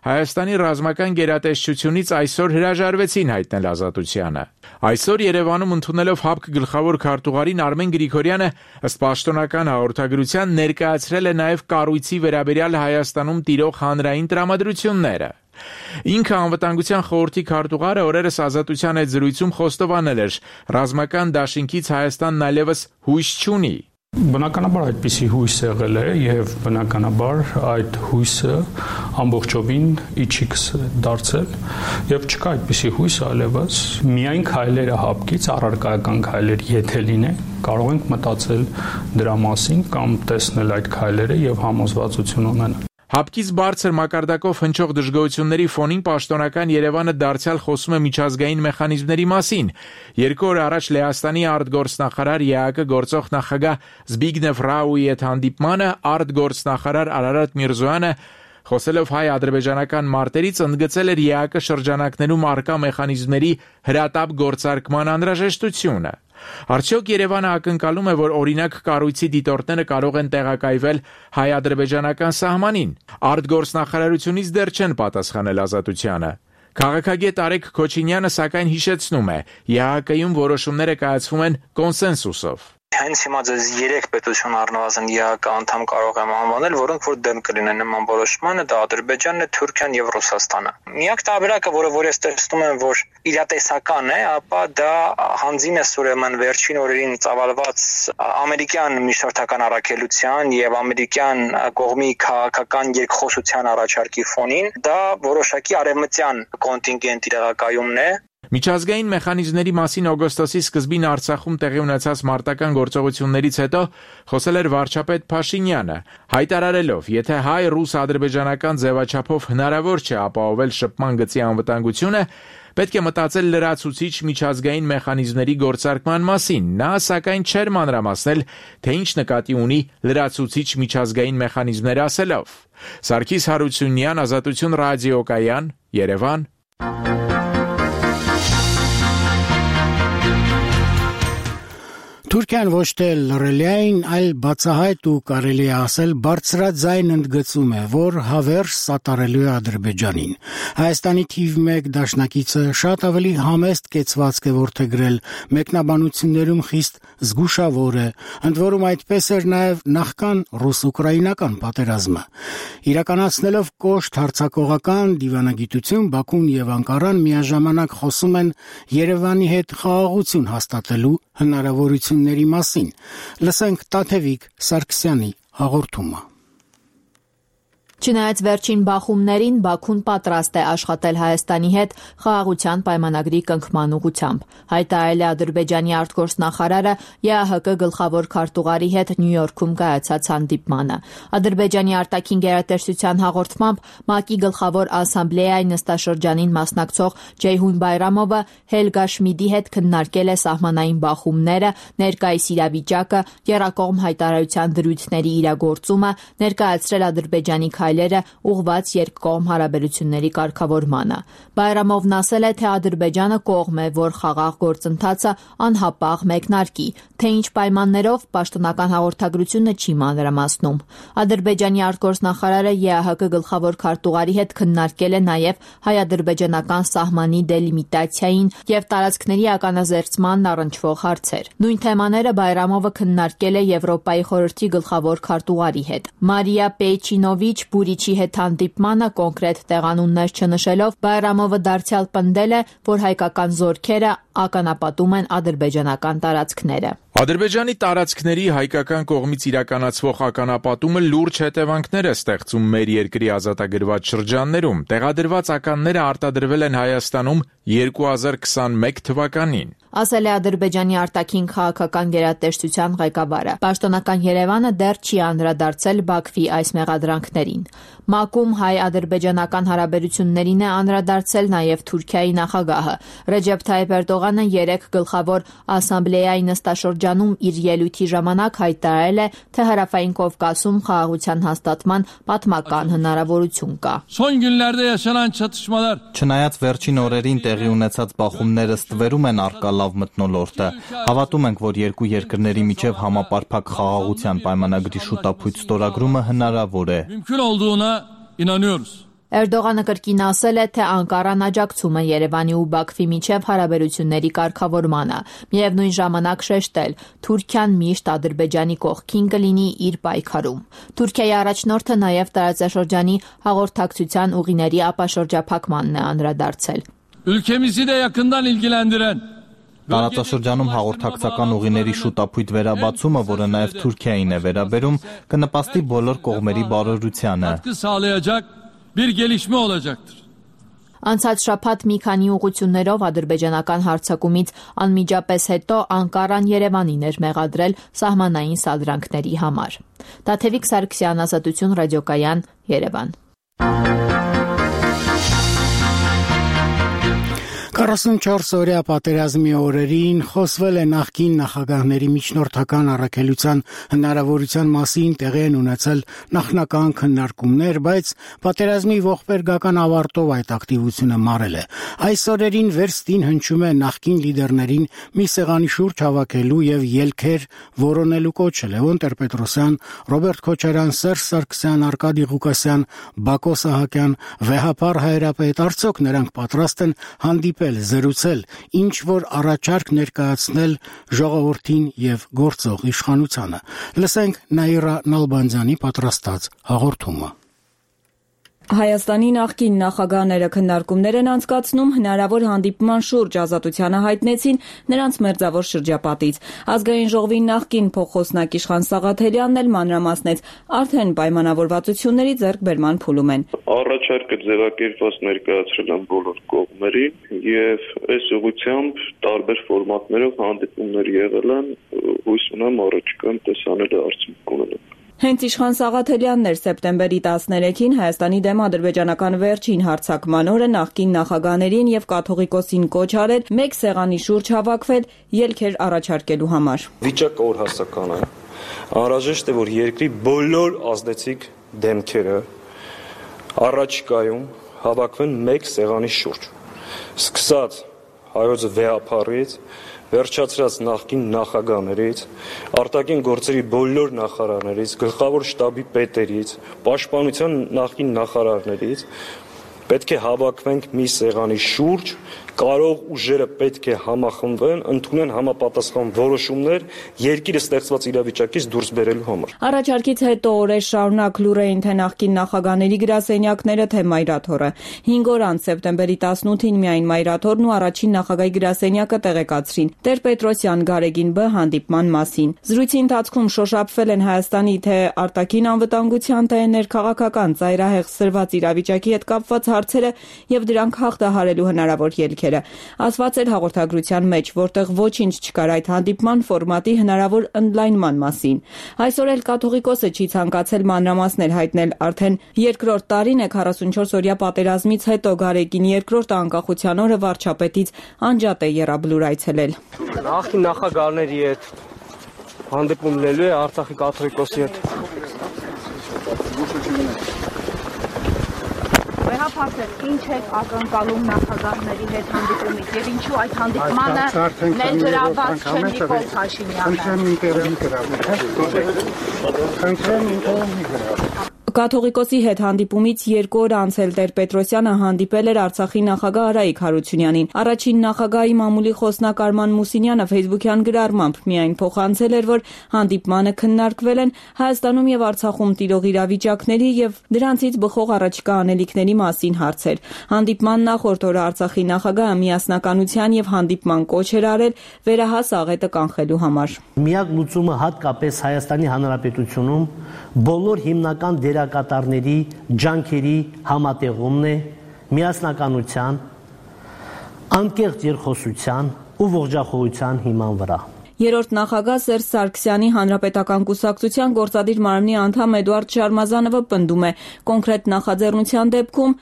Հայաստանի ռազմական գերատեսչությունից այսօր հրաժարվեցին հայտնել ազատությանը։ Այսօր Երևանում ընդունելով ՀԱՊԿ գլխավոր քարտուղարին Արմեն Գրիգորյանը ըստ պաշտոնական հաղորդագրության ներկայացրել է նաև կառույցի վերաբերյալ Հայաստանում տիրող հանրային տրամադրությունները։ Ինքը անվտանգության խորհրդի քարտուղարը օրերս Ազատության հետ զրույցում խոստովանել էր, ռազմական դաշինքից Հայաստանն այլևս հույս չունի։ Բնականաբար այդպիսի հույս եղել է եւ բնականաբար այդ հույսը ամբողջովին իջիկ դարձել եւ չկա այդպիսի հույս այլևս միայն քայլերը հապկից առարկայական քայլեր եթե լինեն կարող ենք մտածել դրա մասին կամ տեսնել այդ քայլերը եւ համոզվածություն ունենալ։ Հապկից բարձր մակարդակով հնչող դժգոհությունների ֆոնին պաշտոնական Երևանը դարձյալ խոսում է միջազգային մեխանիզմների մասին։ 2 օր առաջ Լեհաստանի արտգործնախարար ԵԱԿ գործող նախագահ Զբիգնև Ռաուի հետ հանդիպմանը արտգործնախարար Արարատ Միրզոյանը խոսելով հայ-ադրբեջանական մարտերից ընդգծել էր ԵԱԿ շրջանակներում առկա մեխանիզմների հրատապ գործարկման անհրաժեշտությունը։ Արդյոք Երևանը ակնկալում է, որ օրինակ կառույցի դիտորդները կարող են տեղակայվել հայ-ադրբեջանական սահմանին։ Արտգործնախարարությունից դեռ չեն պատասխանել Ազատությանը։ Քաղաքագետ Արեգ Քոչինյանը սակայն հիշեցնում է, ԵԱԿ-ում որոշումները կայացվում են կոնսենսուսով։ Հենց հիմա ձեզ 3 պետություն առնվազն ԵԱԿ անդամ կարող եմ անվանել, որոնք որ դեմ կլինեն նման որոշմանը, դա Ադրբեջանն է, Թուրքիան եւ Ռուսաստանը։ Միակ տարբերակը, որը ես տեսնում եմ, որ իրատեսական է, ապա դա հանձին է ուրեմն վերջին օրերին ծավալված ամերիկյան միջնորդական առաքելության եւ ամերիկյան կողմի քաղաքական երկխոսության առաջարկի ֆոնին, դա որոշակի արևմտյան կոնտինգենտի տեղակայումն է։ Միջազգային մեխանիզմների մասին օգոստոսի սկզբին Արցախում տեղի ունեցած մարտական գործողություններից հետո խոսել էր վարչապետ Փաշինյանը, հայտարարելով, եթե հայ-ռուս-ադրբեջանական ձևաչափով հնարավոր չէ ապահովել շփման գծի անվտանգությունը, պետք է մտածել լրացուցիչ միջազգային մեխանիզմների գործարկման մասին։ Նա սակայն չէր մանրամասնել, թե ինչ նկատի ունի լրացուցիչ միջազգային մեխանիզմներ ասելով։ Սարգիս Հարությունյան, Ազատություն ռադիոկայան, Երևան։ Թուրքիան ոչ թե լռելիային, այլ բացահայտ ու կարելի է ասել բարձրաձայն ընդգծում է, որ հավերժ սատարելու է Ադրբեջանին։ Հայաստանի թիվ 1 դաշնակիցը շատ ավելի համեստ կեցվածք է որդեգրել, մեկնաբանություններում խիստ զգուշավոր է, ընդ որում այդպես էր նաև նախքան ռուս-ուկրաինական պատերազմը։ Իրականացնելով կոշտ հարձակողական դիվանագիտություն, Բաքուն եւ Անկարան միաժամանակ խոսում են Երևանի հետ խաղաղություն հաստատելու հնարավորությունների մասին։ Լսենք Տաթևիկ Սարգսյանի հաղորդումը։ Չնայած վերջին բախումներին Բաքուն պատրաստ է աշխատել Հայաստանի հետ խաղաղության պայմանագրի կնքման ուղղությամբ, հայտարարել է Ադրբեջանի արտգործնախարարը ԵԱՀԿ գլխավոր քարտուղարի հետ Նյու Յորքում կայացած հանդիպմանը։ Ադրբեջանի արտաքին գերատեսչության հաղորդմամբ ՄԱԿ-ի գլխավոր ասամբլեայի նստաշրջանին մասնակցող Ջեյհուն Բայրամովը Հելգա Շմիդի հետ քննարկել է սահմանային բախումները, ներկայիս իրավիճակը, եռակողմ հայտարարության դրույթների իրագործումը, ներկայացրել Ադրբեջանի քայլերը ուղղված երկկողմ հարաբերությունների կարգավորմանը։ Բայրամովն ասել է, թե Ադրբեջանը կողմ է, որ խաղաղ գործընթացը անհապաղ մեկնարկի, թե ինչ պայմաններով պաշտոնական հաղորդագրությունը չի մանրամասնում։ Ադրբեջանի արտգործնախարարը ԵԱՀԿ գլխավոր քարտուղարի հետ քննարկել է նաև հայ-ադրբեջանական սահմանի դելիմիտացիային եւ տարածքների ականազերծմանն առնչվող հարցեր։ Նույն թեմաները Բայրամովը քննարկել է Եվրոպայի խորհրդի գլխավոր քարտուղարի հետ։ Մարիա Պեյչինովիչ Բուրիչի հետ հանդիպմանը կոնկրետ տեղանուններ չնշելով Բայրամովը դարձյալ պնդել է, որ հայկական զորքերը ականապատում են ադրբեջանական տարածքները։ Ադրբեջանի տարածքների հայկական կողմից իրականացվող ականապատումը լուրջ հետևանքներ է ստեղծում մեր երկրի ազատագրված շրջաններում։ Տեղադրված ականները արտադրվել են Հայաստանում 2021 թվականին։ Ասել է Ադրբեջանի արտաքին քաղաքական գերատեսչության ղեկավարը։ Պաշտոնական Երևանը դեռ չի անդրադարձել Բաքվի այս մեղադրանքներին։ ՄԱԿ-ում հայ-ադրբեջանական հարաբերություններին է անդրադարձել նաև Թուրքիայի նախագահը։ Ռեջեփ Թայիփ Էրդողանը 3 գլխավոր ասամբլեայի նստաշրջանում իր ելույթի ժամանակ հայտարարել է, թե Հարավային Կովկասում խաղաղության հաստատման պատմական հնարավորություն կա։ Չնայած վերջին օրերին տեղի ունեցած բախումները ստվերում են առկա լավ մթնոլորտը, հավատում ենք, որ երկու երկրների միջև համապարփակ խաղաղության պայմանագրի շուտապույտ ստորագրումը հնարավոր է։ Էրդողանը կրկին ասել է, թե Անկարան աջակցում է Երևանի ու Բաքվի միջև հարաբերությունների կարգավորմանը, միևնույն ժամանակ շեշտել, Թուրքիան միշտ Ադրբեջանի կողքին կլինի իր պայքարում։ Թուրքիայի առաջնորդը նաև տարածաշրջանի հաղորդակցության ուղիների ապաշրջափակմանն է անդրադարձել։ Ülkemizi de yakından ilgilendiren Տարածաշրջանում հաղորդակցական ուղիների շուտապույտ վերաբացումը, որը նաև Թուրքիային է վերաբերում, կնպաստի բոլոր կողմերի բարօրությանը։ bir gelişme olacaktır. Անցած շաբաթ մի քանի ուղղություններով ադրբեջանական հարձակումից անմիջապես հետո Անկարան Երևանին էր մեղադրել սահմանային սադրանքների համար։ Տաթևիկ Սարգսյան, Ազատություն ռադիոկայան, Երևան։ 44-օրյա պատերազմի օրերին խոսվել է նախկին նախագահների միջնորդական առաքելության հնարավորության մասին, տեղի են ունեցել նախնական քննարկումներ, բայց պատերազմի ողբերգական ավարտով այդ ակտիվությունը մարել է։ Այս օրերին վերստին հնչում է նախկին լիդերներին մի սեղանի շուրջ հավաքելու եւ ելքեր որոնելու կոչը։ Լևոն Տեր-Պետրոսյան, Ռոբերտ Քոչարյան, Սերժ Սարգսյան, Արկադի Ղուկասյան, Բակո Սահակյան, Վեհապար Հայրապետ, արդյոք նրանք պատրաստ են հանդիպել, զրուցել, ինչ որ առաջարկ ներկայացնել ժողովրդին եւ գործող իշխանությանը։ Լսենք Նաիրա Նալբանդյանի պատրաստած հաղորդումը։ Հայաստանի նախկին նախագահները քննարկումներ են անցկացնում հնարավոր հանդիպման շուրջ, ազատությանը հայտնեցին նրանց մերձավոր շրջապատից։ Ազգային ժողովի նախկին փոխխոսնակ Իշխան Սաղաթելյանն էլ մանրամասնեց, արդեն պայմանավորվածությունների ձեռքբերման փուլում են։ Առաջարկը ձևակերպված ներկայացրել են բոլոր կողմերին եւ այս ուղղությամբ տարբեր ֆորմատներով հանդիպումներ եղել են, հույս ունեմ առաջիկայում տեսանելի արդյունք ունենան։ Հենց Իշխան Սաղաթելյանն էր սեպտեմբերի 13-ին Հայաստանի դեմ ադրբեջանական վերջին հարձակման օրը նախկին նախագահներին եւ կաթողիկոսին կոչ արել մեկ սեղանի շուրջ հավաքվել ելքեր առաջարկելու համար։ Վիճակը օրհասական է։ Անհրաժեշտ է, որ երկրի բոլոր ազդեցիկ դեմքերը առաջիկայում հավաքվեն մեկ սեղանի շուրջ։ Սկսած հայոց վեհապարից, վերջացրած նախկին նախագահներից, արտաքին գործերի բոլոր նախարարներից, գլխավոր շտաբի պետերից, պաշտպանության նախկին նախարարներից պետք է հավաքվենք մի սեղանի շուրջ, կարող ուժերը պետք է համախմբվեն, ընդունեն համապատասխան որոշումներ երկիրը ստեղծված իրավիճակից դուրս բերելու համար։ Առաջարկից հետո օրեր շարունակ լուր էին թե նախկին նախագահների գրասենյակները, թե Մայրաթորը։ 5 օր անց սեպտեմբերի 18-ին միայն Մայրաթորն ու առաջին նախագահի գրասենյակը տեղեկացրին Տեր-Պետրոսյան Գարեգին Բ հանդիպման մասին։ Զրույցի ընթացքում շոշափվել են Հայաստանի թե արտաքին անվտանգության, թե ներքաղաքական ծայրահեղ սրված իրավիճակի հետ կապված հարցերը եւ դրանք հաղթահարելու հնարավոր ելքերը։ Ասված էր հաղորդագրության մեջ, որտեղ ոչինչ չկար այդ հանդիպման ֆորմատի հնարավոր ընդլայնման մասին։ Այսօր էլ կաթողիկոսը չի ցանկացել մանրամասներ հայտնել, արդեն երկրորդ տարին է 44-օրյա պատերազմից հետո Գարեգին երկրորդ անկախության օրը վարչապետից անջատ է եռաբլուր այցելել։ Նախկին նախագահների հետ հանդիպում լինելու է Արցախի կաթողիկոսի հետ։ Ինչ է ակնկալում նախագահների հետ հանդիպումից եւ ինչու այդ հանդիպմանը ներգրավված չէ Նիկոլ Փաշինյանը։ Կաթողիկոսի հետ հանդիպումից 2 օր անց էլ Տեր-Պետրոսյանը հանդիպել էր Արցախի նախագահ Արայիկ Հարությունյանին։ Առաջին նախագահի մամուլի խոսնակ Արման Մուսինյանը ֆեյսբուքյան գրառմամբ միայն փոխանցել էր, որ հանդիպմանը քննարկվել են Հայաստանում եւ Արցախում տիրող իրավիճակների եւ դրանցից բխող առաջիկա անելիքների մասին հարցեր։ Հանդիպման նախորդ օրը Արցախի նախագահը միասնականության եւ հանդիպման կոչ էր արել վերահաս աղետը կանխելու համար։ Միակ լուծումը հատկապես Հայաստանի Հանրապետությունում բոլոր հիմնական դերակատարների ջանքերի համատեղումն է, միասնականության, անկեղծ երկխոսության ու ողջախոհության հիման վրա։ Երրորդ նախագահ Սերժ Սարգսյանի Հանրապետական կուսակցության գործադիր մարմնի անդամ Էդուարդ Շարմազանովը պնդում է, կոնկրետ նախաձեռնության դեպքում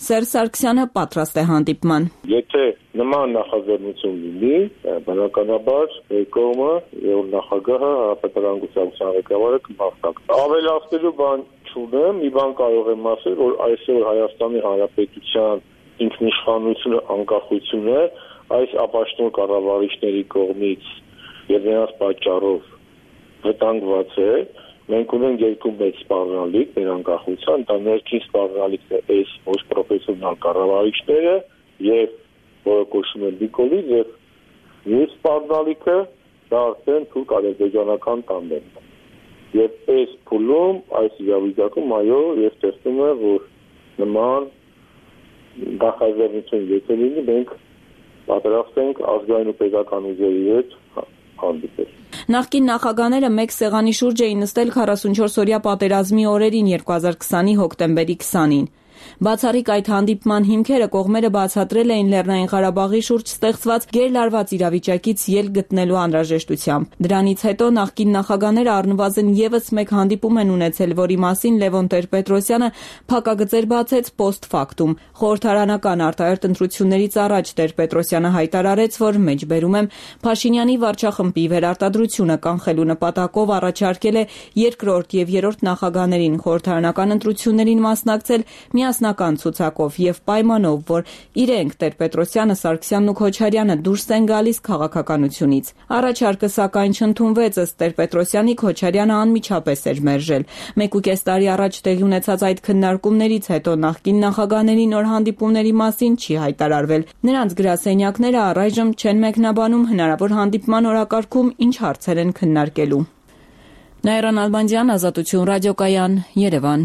Սերժ Սարգսյանը պատրաստ է հանդիպման։ Եթե նման նախաձեռնություն լինի, բնականաբար կողմը եւ նախագահը Հանրապետական կուսակցության ղեկավարը կմաղթակ։ Ավելացնելու բան չունեմ, մի բան կարող եմ ասել, որ այսօր Հայաստանի Հանրապետության ինքնիշխանությունը, անկախությունը այս ապաշտող կառավարիչների կողմից եւ նրանց պատճառով վտանգված է մենք ունենք երկու մեծ սպառնալիք մեր անկախության, դա ներքին սպառնալիքն է այս ոչ պրոֆեսիոնալ կառավարիչները եւ որը կոչվում է Նիկոլից եւ մյուս սպառնալիքը դա արդեն թուրք-ադրբեջանական տանդեմն է։ Եվ այս փուլում, այս իրավիճակում այո, ես տեսնում եմ, որ նման դախազերություն եթե լինի, մենք պատրաստ ենք ազգային ու պետական ուժերի հետ հանդիպել։ Նախկին նախագահները մեկ սեղանի շուրջ էին նստել 44-օրյա պատերազմի օրերին 2020-ի հոկտեմբերի 20-ին։ Բացառիկ այդ հանդիպման հիմքերը կողմերը բացատրել էին Լեռնային Ղարաբաղի շուրջ ստեղծված գերլարված իրավիճակից ելք գտնելու անհրաժեշտությամբ։ Դրանից հետո նախկին նախագահները առնվազն եւս մեկ հանդիպում են ունեցել, որի մասին Լևոն Տեր-Պետրոսյանը փակագծեր բացեց post factum։ Խորհրդարանական արտահերթ ընտրություններից առաջ Տեր-Պետրոսյանը հայտարարեց, որ մեջբերում եմ Փաշինյանի վարչախմբի վերարտադրությունը կանխելու նպատակով առաջարկել է երկրորդ եւ երրորդ նախագահներին խորհրդարանական ընտրություններին մասնակցել միասնական ցուցակով եւ պայմանով, որ իրենք Տեր-Պետրոսյանը, Սարգսյանն ու Քոչարյանը դուրս են գալիս քաղաքականությունից։ Առաջարկը սակայն չընդունվեց, ըստ Տեր-Պետրոսյանի Քոչարյանը անմիջապես էր մերժել։ 1.5 տարի առաջ տեղի ունեցած այդ քննարկումներից հետո նախկին նախագահների նոր հանդիպումների մասին չի հայտարարվել։ Նրանց գրասենյակները առայժմ չեն մեկնաբանում հնարավոր հանդիպման օրակարգում ինչ հարցեր են քննարկելու։ Նաիրա Նալբանդյան, Ազատություն ռադիոկայան, Երևան։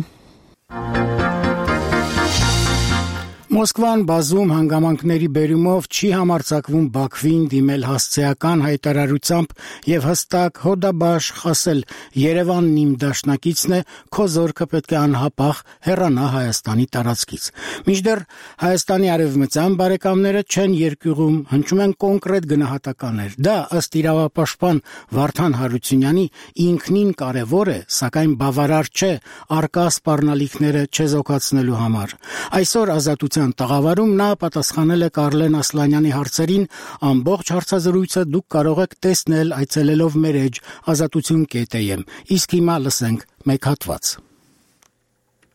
Մոսկվան բազում հանգամանքների բերումով չի համարձակվում Բաքվին դիմել հասցեական հայտարարությամբ եւ հստակ հոդաբաշխ ասել Երևանն իմ դաշնակիցն է, քո զորքը պետք է անհապաղ հեռանա Հայաստանի տարածքից։ Մինչդեռ Հայաստանի արևմտյան բարեկամները չեն երկյուղում, հնչում են կոնկրետ գնահատականներ։ Դա ըստ իրավապաշտպան Վարդան Հարությունյանի ինքնին կարևոր է, սակայն բավարար չէ արկա սպառնալիքները չեզոքացնելու համար։ Այսօր Ազատության տաղավարում նա պատասխանել է Կարլեն Ասլանյանի հարցերին, ամբողջ հարցազրույցը դուք կարող եք տեսնել այցելելով մեր էջ azatutun.am, իսկ հիմա լսենք մեկ հատված։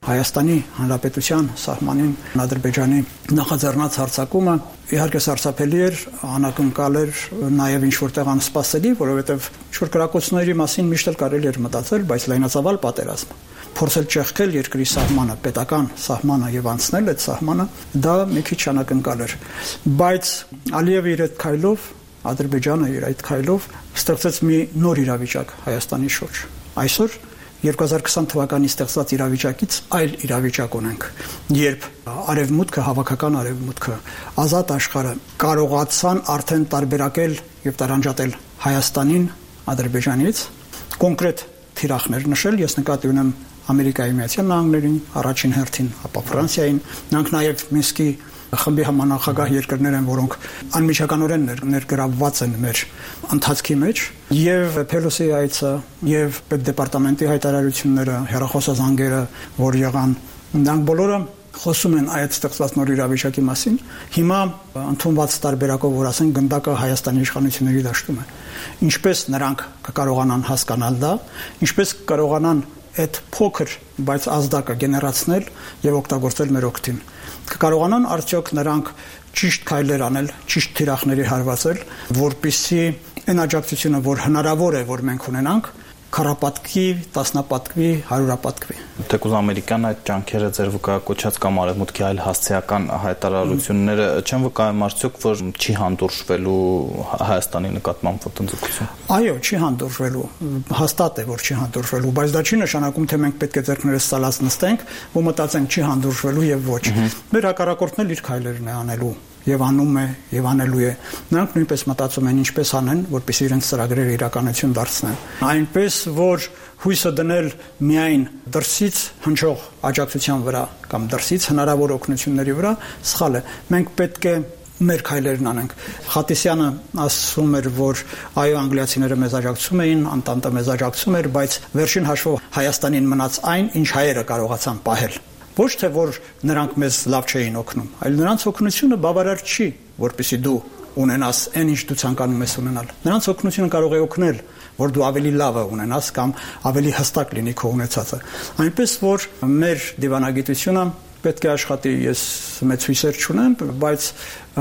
Հայաստանի Հանրապետության սահմանին Ադրբեջանի նախաձեռնած հարձակումը իհարկե սարսափելի էր, անակնկալ էր, նաև ինչ որտեղ անսպասելի, որովհետև ինչ-որ կրակոցների մասին միշտ էլ կարելի էր մտածել, բայց լայնածավալ պատերազմ փորձել ճեղքել երկրի սահմանը, պետական սահմանը եւ անցնել այդ սահմանը, դա մի քիչ անակնկալ էր։ Բայց Ալիևը իր այդ քայլով, Ադրբեջանը իր այդ քայլով ստեղծեց մի նոր իրավիճակ Հայաստանի շուրջ։ Այսօր 2020 թվականի ստեղծված իրավիճակից այլ իրավիճակ ունենք, երբ արևմուտքը, հավաքական արևմուտքը, ազատ աշխարհը կարողացան արդեն տարբերակել եւ տարանջատել Հայաստանին Ադրբեջանից, կոնկրետ թիրախներ նշել, ես նկատի ունեմ Ամերիկայի Միացյալ Նահանգներին, առաջին հերթին, ապա Ֆրանսիային, նրանք նաև Մինսկի խմբի համանախագահ երկրներ են, որոնք անմիջականորեն ներգրավված են մեր ընթացքի մեջ, եւ Փելոսի այցը եւ պետդեպարտամենտի հայտարարությունները, հեռախոսազանգերը, որ եղան, նրանք բոլորը խոսում են այդ ստեղծված նոր իրավիճակի մասին։ Հիմա ընդունված տարբերակով, որ ասեն գնդակը Հայաստանի իշխանությունների դաշտում է։ Ինչպես նրանք կկարողանան հասկանալ դա, ինչպես կկարողանան այդ փոքր, բայց ազդակը գեներացնել եւ օգտագործել մեր օգտին։ Կկարողանան արդյոք նրանք ճիշտ քայլեր անել, ճիշտ թիրախների հարվածել, որպեսզի այն աջակցությունը, որ հնարավոր է, որ մենք ունենանք, քառապատկվի, տասնապատկվի, հարյուրապատկվի։ Թեկուզ ամերիկան այդ ջանքերը ձեր վկայակոչած կամ արևմուտքի այլ հասցեական հայտարարությունները չեն վկայում արդյոք, որ չի հանդուրժվելու Հայաստանի նկատմամբ ոտնձգություն։ Այո, չի հանդուրժվելու, հաստատ է, որ չի հանդուրժվելու, բայց դա չի նշանակում, թե մենք պետք է ձեռքներս սալած նստենք ու մտածենք չի հանդուրժվելու եւ ոչ։ Մեր հակառակորդն էլ իր քայլերն է անելու եւ անում է եւ անելու է։ Նրանք նույնպես մտածում են ինչպես անեն, որպեսզի իրենց ծրագրերը իրականություն դարձնեն։ Այնպես որ հույսը դնել միայն դրսից հնչող աջակցության վրա կամ դրսից հնարավոր օգնությունների վրա սխալ է։ Մենք պետք է մեր քայլերն անենք։ Խատիսյանը ասում էր, որ այո, անգլիացիները մեզ աջակցում էին, Անտանտը մեզ աջակցում էր, բայց վերջին հաշվով Հայաստանին մնաց այն, ինչ հայերը կարողացան պահել։ Ոչ թե որ նրանք մեզ լավ չէին օգնում, այլ նրանց օգնությունը բավարար չի, որպեսզի դու ունենաս այն ինչ դու ցանկանում ես ունենալ։ Նրանց օգնությունը կարող է օգնել, որ դու ավելի լավը ունենաս կամ ավելի հստակ լինի քո ունեցածը։ Այնպես որ մեր դիվանագիտությունը պետք է աշխատի, ես մեծ հույսեր չունեմ, բայց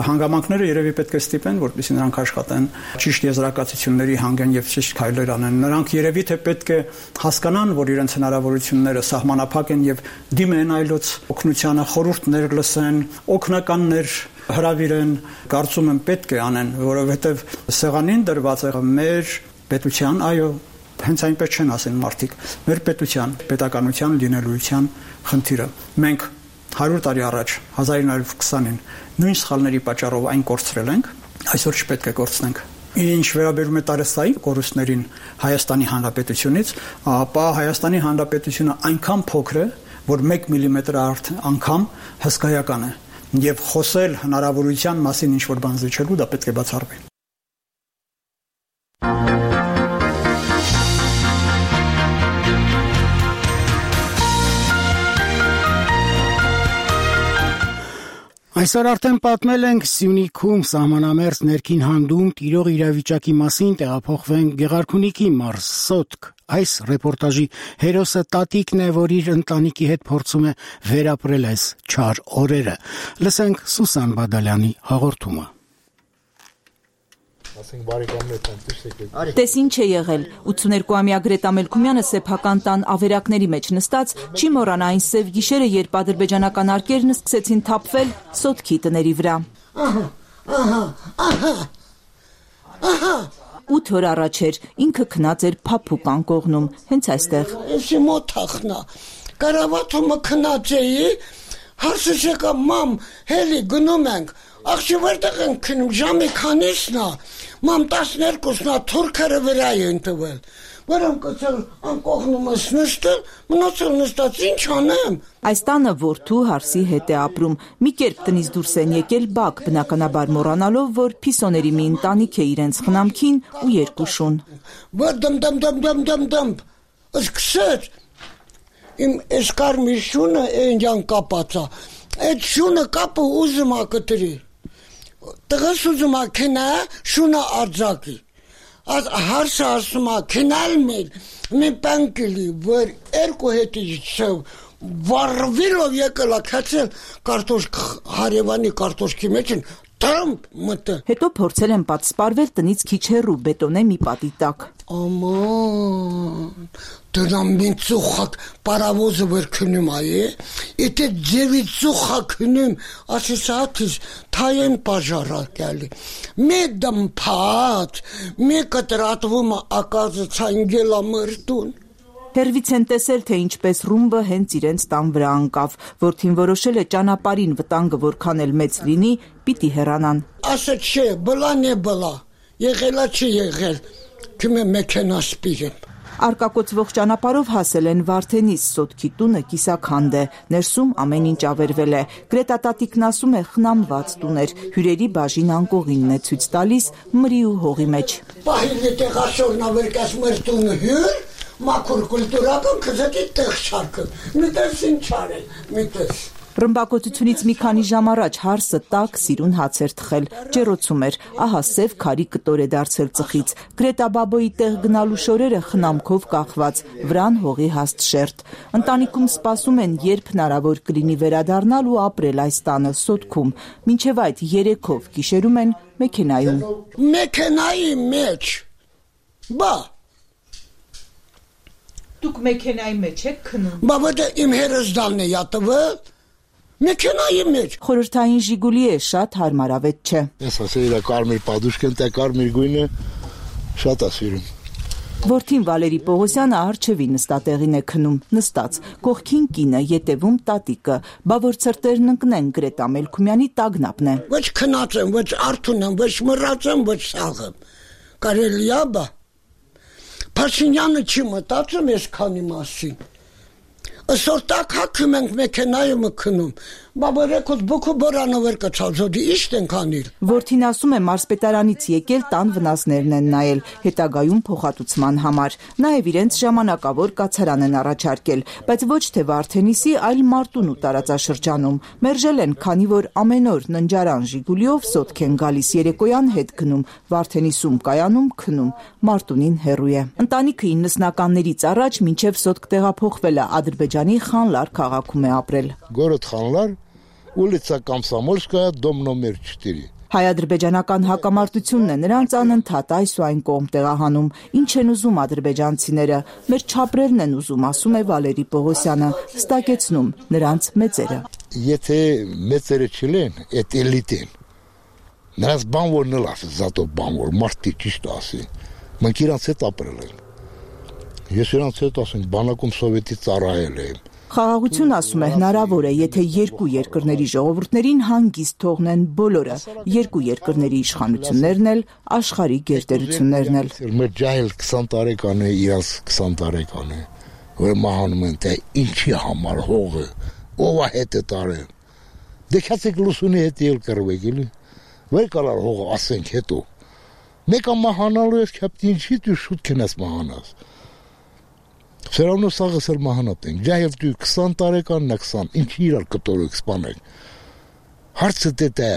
հանգամանքները երևի պետք է ստիպեն, որպեսզի նրանք աշխատեն, ճիշտ եզրակացությունների հանգեն եւ ճիշտ քայլեր անեն։ Նրանք երևի թե պետք է հասկանան, որ իրենց հնարավորությունները սահմանափակ են եւ դիմեն այլոց օգնությանը, խորհուրդներ լսեն, օգնականներ հրավիրեն, կարծում եմ պետք է անեն, որովհետեւ սեղանին դրված է մեր պետության, այո, հենց այնպես չեն ասեն մարդիկ, մեր պետության, պետականության լինելույթյան խնդիրը։ Մենք 100 տարի առաջ 1920-ին նույն սխալների պատճառով այն կորցրել ենք, այսօր չպետք է կորցնենք։ Ինչ վերաբերում է տարեստային կորուստներին Հայաստանի Հանրապետությունից, ապա Հայաստանի Հանրապետությունը այնքան փոքր է, որ 1 միլիմետր անգամ հսկայական է, եւ խոսել հնարավորության մասին ինչ որ բան զիջելու դա պետք է բացառվի։ Այսօր արդեն պատմել ենք Սյունիքում սահմանամերձ ներքին հանդում տիրող իրավիճակի մասին տեղափոխվենք Գեղարքունիքի մարզ Սոտք։ Այս ռեպորտաժի հերոսը տատիկն է, որ իր ընտանիքի հետ փորձում է վերապրել այս չար օրերը։ Լսենք Սուսան Բադալյանի հաղորդումը։ Տես ինչ է եղել, 82-ամյա Գրետա Մելքումյանը սեփական տան ավերակների մեջ նստած չի մոռանա այն սև գիշերը, երբ ադրբեջանական արկերն սկսեցին թափվել Սոտքի տների վրա։ 8 օր առաջ էր, ինքը քնած էր Փափուկ անկողնում, հենց այստեղ։ Էսի մոթախնա, կարավաթումը քնած էի, հարցս եկա մամ, հելի գնում ենք, աղջի որտեղ ենք քնում, ժամի քանիսն է, մամ 12-նա թուրքերը վրա են տվել, որում կցել անկողնումս նստել, մնացել նստած ինչ անեմ։ Այս տանը որդու հարսի հետ է ապրում, մի կերպ տնից դուրս են եկել բակ, բնականաբար մոռանալով, որ փիսոների մի ընտանիք է իրենց խնամքին ու երկու շուն։ Որ դմ, սկսեց, իմ էսկար մի շունը էնջան կապացա, այդ շունը կապը ուզում ակտրի, տղս ուզում ակենա շունը արձակի, հարսը ասում ակենալ մի պանկելի, որ երկու հետի չսև, վարվիրով եկել ակացել կարտոշք, հարևանի կարտոշքի մեջ են, Թամփ մտը։ Հետո փորձել են պատսպարվել տնից քիչ հեռու բետոնե մի պատի տակ։ Աման, դրամ մի ծուխակ պարավոզը վեր քնում այ, եթե ձևի ծուխակ քնում, ասեցատից թայեն պաժարակյալի։ Մի դմփած, մի կտրատվում ակազը ցանգելա մրտուն։ Հերվից են տեսել, թե ինչպես ռումբը հենց իրենց տան վրա անկավ, որդին որոշել է ճանապարհին վտանգը որքան էլ մեծ լինի, պիտի հեռանան։ Ասա չէ, բլան է բլա, եղելա չի եղել, քմե մեքենա սպիրեմ։ Արկակոծվող ճանապարհով հասել են Վարդենիս Սոտքի տունը կիսաքանդ է, ներսում ամեն ինչ ավերվել է։ Գրետա տատիկն ասում է խնամված տուն էր, հյուրերի բաժին անկողինն է ցույց տալիս մրի ու հողի մեջ։ Պահիլի տեղաշորնա վերկաս մեր տունը հյուր, մաքուր կուլտուրական քզետի տեղ շարքը, միտես ինչ արել, միտես։ Ռմբակոծությունից մի քանի ժամ առաջ հարսը տաք սիրուն հաց էր թխել, ջերոցում էր, ահա սև քարի կտոր է դարձել ծխից, Գրետա բաբոյի տեղ գնալու շորերը խնամքով կախված, վրան հողի հաստ շերտ։ Ընտանիքում սպասում են, երբ հնարավոր կլինի վերադառնալ ու ապրել այս տանը Սոտքում, մինչև այդ երեքով գիշերում են մեքենայում։ Մեքենայի մեջ, բա Դուք մեքենայի մեջ եք քնում։ Բա որտե իմ հերոսդանն է յատվել։ Մեքենայի մեջ։ Խորհրդային Ժիգուլի է, շատ հարմարավետ չէ։ Ես ասել եմ կարմիր պադուշկեն, տա կարմիր գույնը շատ ասիրում։ Որդին Վալերի Պողոսյանը արջևի նստատեղին է քնում, նստած, կողքին կինը, ետևում տատիկը, բա որ ցրտերն ընկնեն Գրետա Մելքումյանի տագնապն է։ Ոչ քնած եմ, ոչ արթուն եմ, ոչ մռած եմ, ոչ սաղ եմ։ Կարելի է բա։ Փաշինյանը չի մտածում ես քանի մասին։ Այսօր տակ հակում ենք մեքենայում քնում, բաբերեկոս բուքու բորանովեր կցածոդի իշտ ենք անիլ։ Որդին ասում է մարզպետարանից եկել տան վնասներն են նայել, հետագայում փոխհատուցման համար։ Նաև իրենց ժամանակավոր կացարան են առաջարկել, բայց ոչ թե Վարդենիսի, այլ Մարտունու տարածաշրջանում։ Մերժել են, քանի որ ամեն օր ննջարան Ժիգուլիով սոտք են գալիս, երեկոյան հետ գնում, Վարդենիսում կայանում, քնում, Մարտունին հեռու է։ Ընտանիքը 90-ականներից առաջ մինչև սոտք տեղափոխվել է, Ադրբեջանի Խանլար քաղաքում է ապրել։ Город Խանլար, улица Комсомольская, дом номер 4։ Հայ-ադրբեջանական հակամարտությունն է նրանց անընդհատ այս ու այն կողմ տեղահանում։ Ինչ են ուզում ադրբեջանցիները, մեր չապրելն են ուզում, ասում է Վալերի Պողոսյանը, հստակեցնում նրանց մեծերը։ Եթե մեծերը չլեն, այդ էլիտեն։ Նրանց բանվորն էլ ասի, զատո բանվոր, մարդի ճիշտ ասի։ Մենք իրանց հետ ապրել ենք։ Ես իրանց հետ ասենք, բանակում սովետի ծառայել եմ։ Խաղաղություն, ասում է, հնարավոր է, եթե երկու երկրների ժողովուրդներին հանգիստ թողնեն բոլորը, երկու երկրների իշխանություններն էլ, աշխարհի գերտերություններն էլ։ Մեր ջահել 20 տարեկան է, իրանց 20 տարեկան է, որ մահանում են, թե ինչի համար հողը, ով է հետը տարել։ Դե քացեք լուսունի հետ ել կրվեք, էլի։ Վեր կալար հողը ասենք հետո։ Մեկը մահանալու ես քապտի ինչի դու շուտ կնաս մահանաս։ Все равно սաղսել մահանատ ենք, ջահել դու 20 տարեկանն է 20, ինչի իրար կտորեք սպանեք։ Հարցը դե է,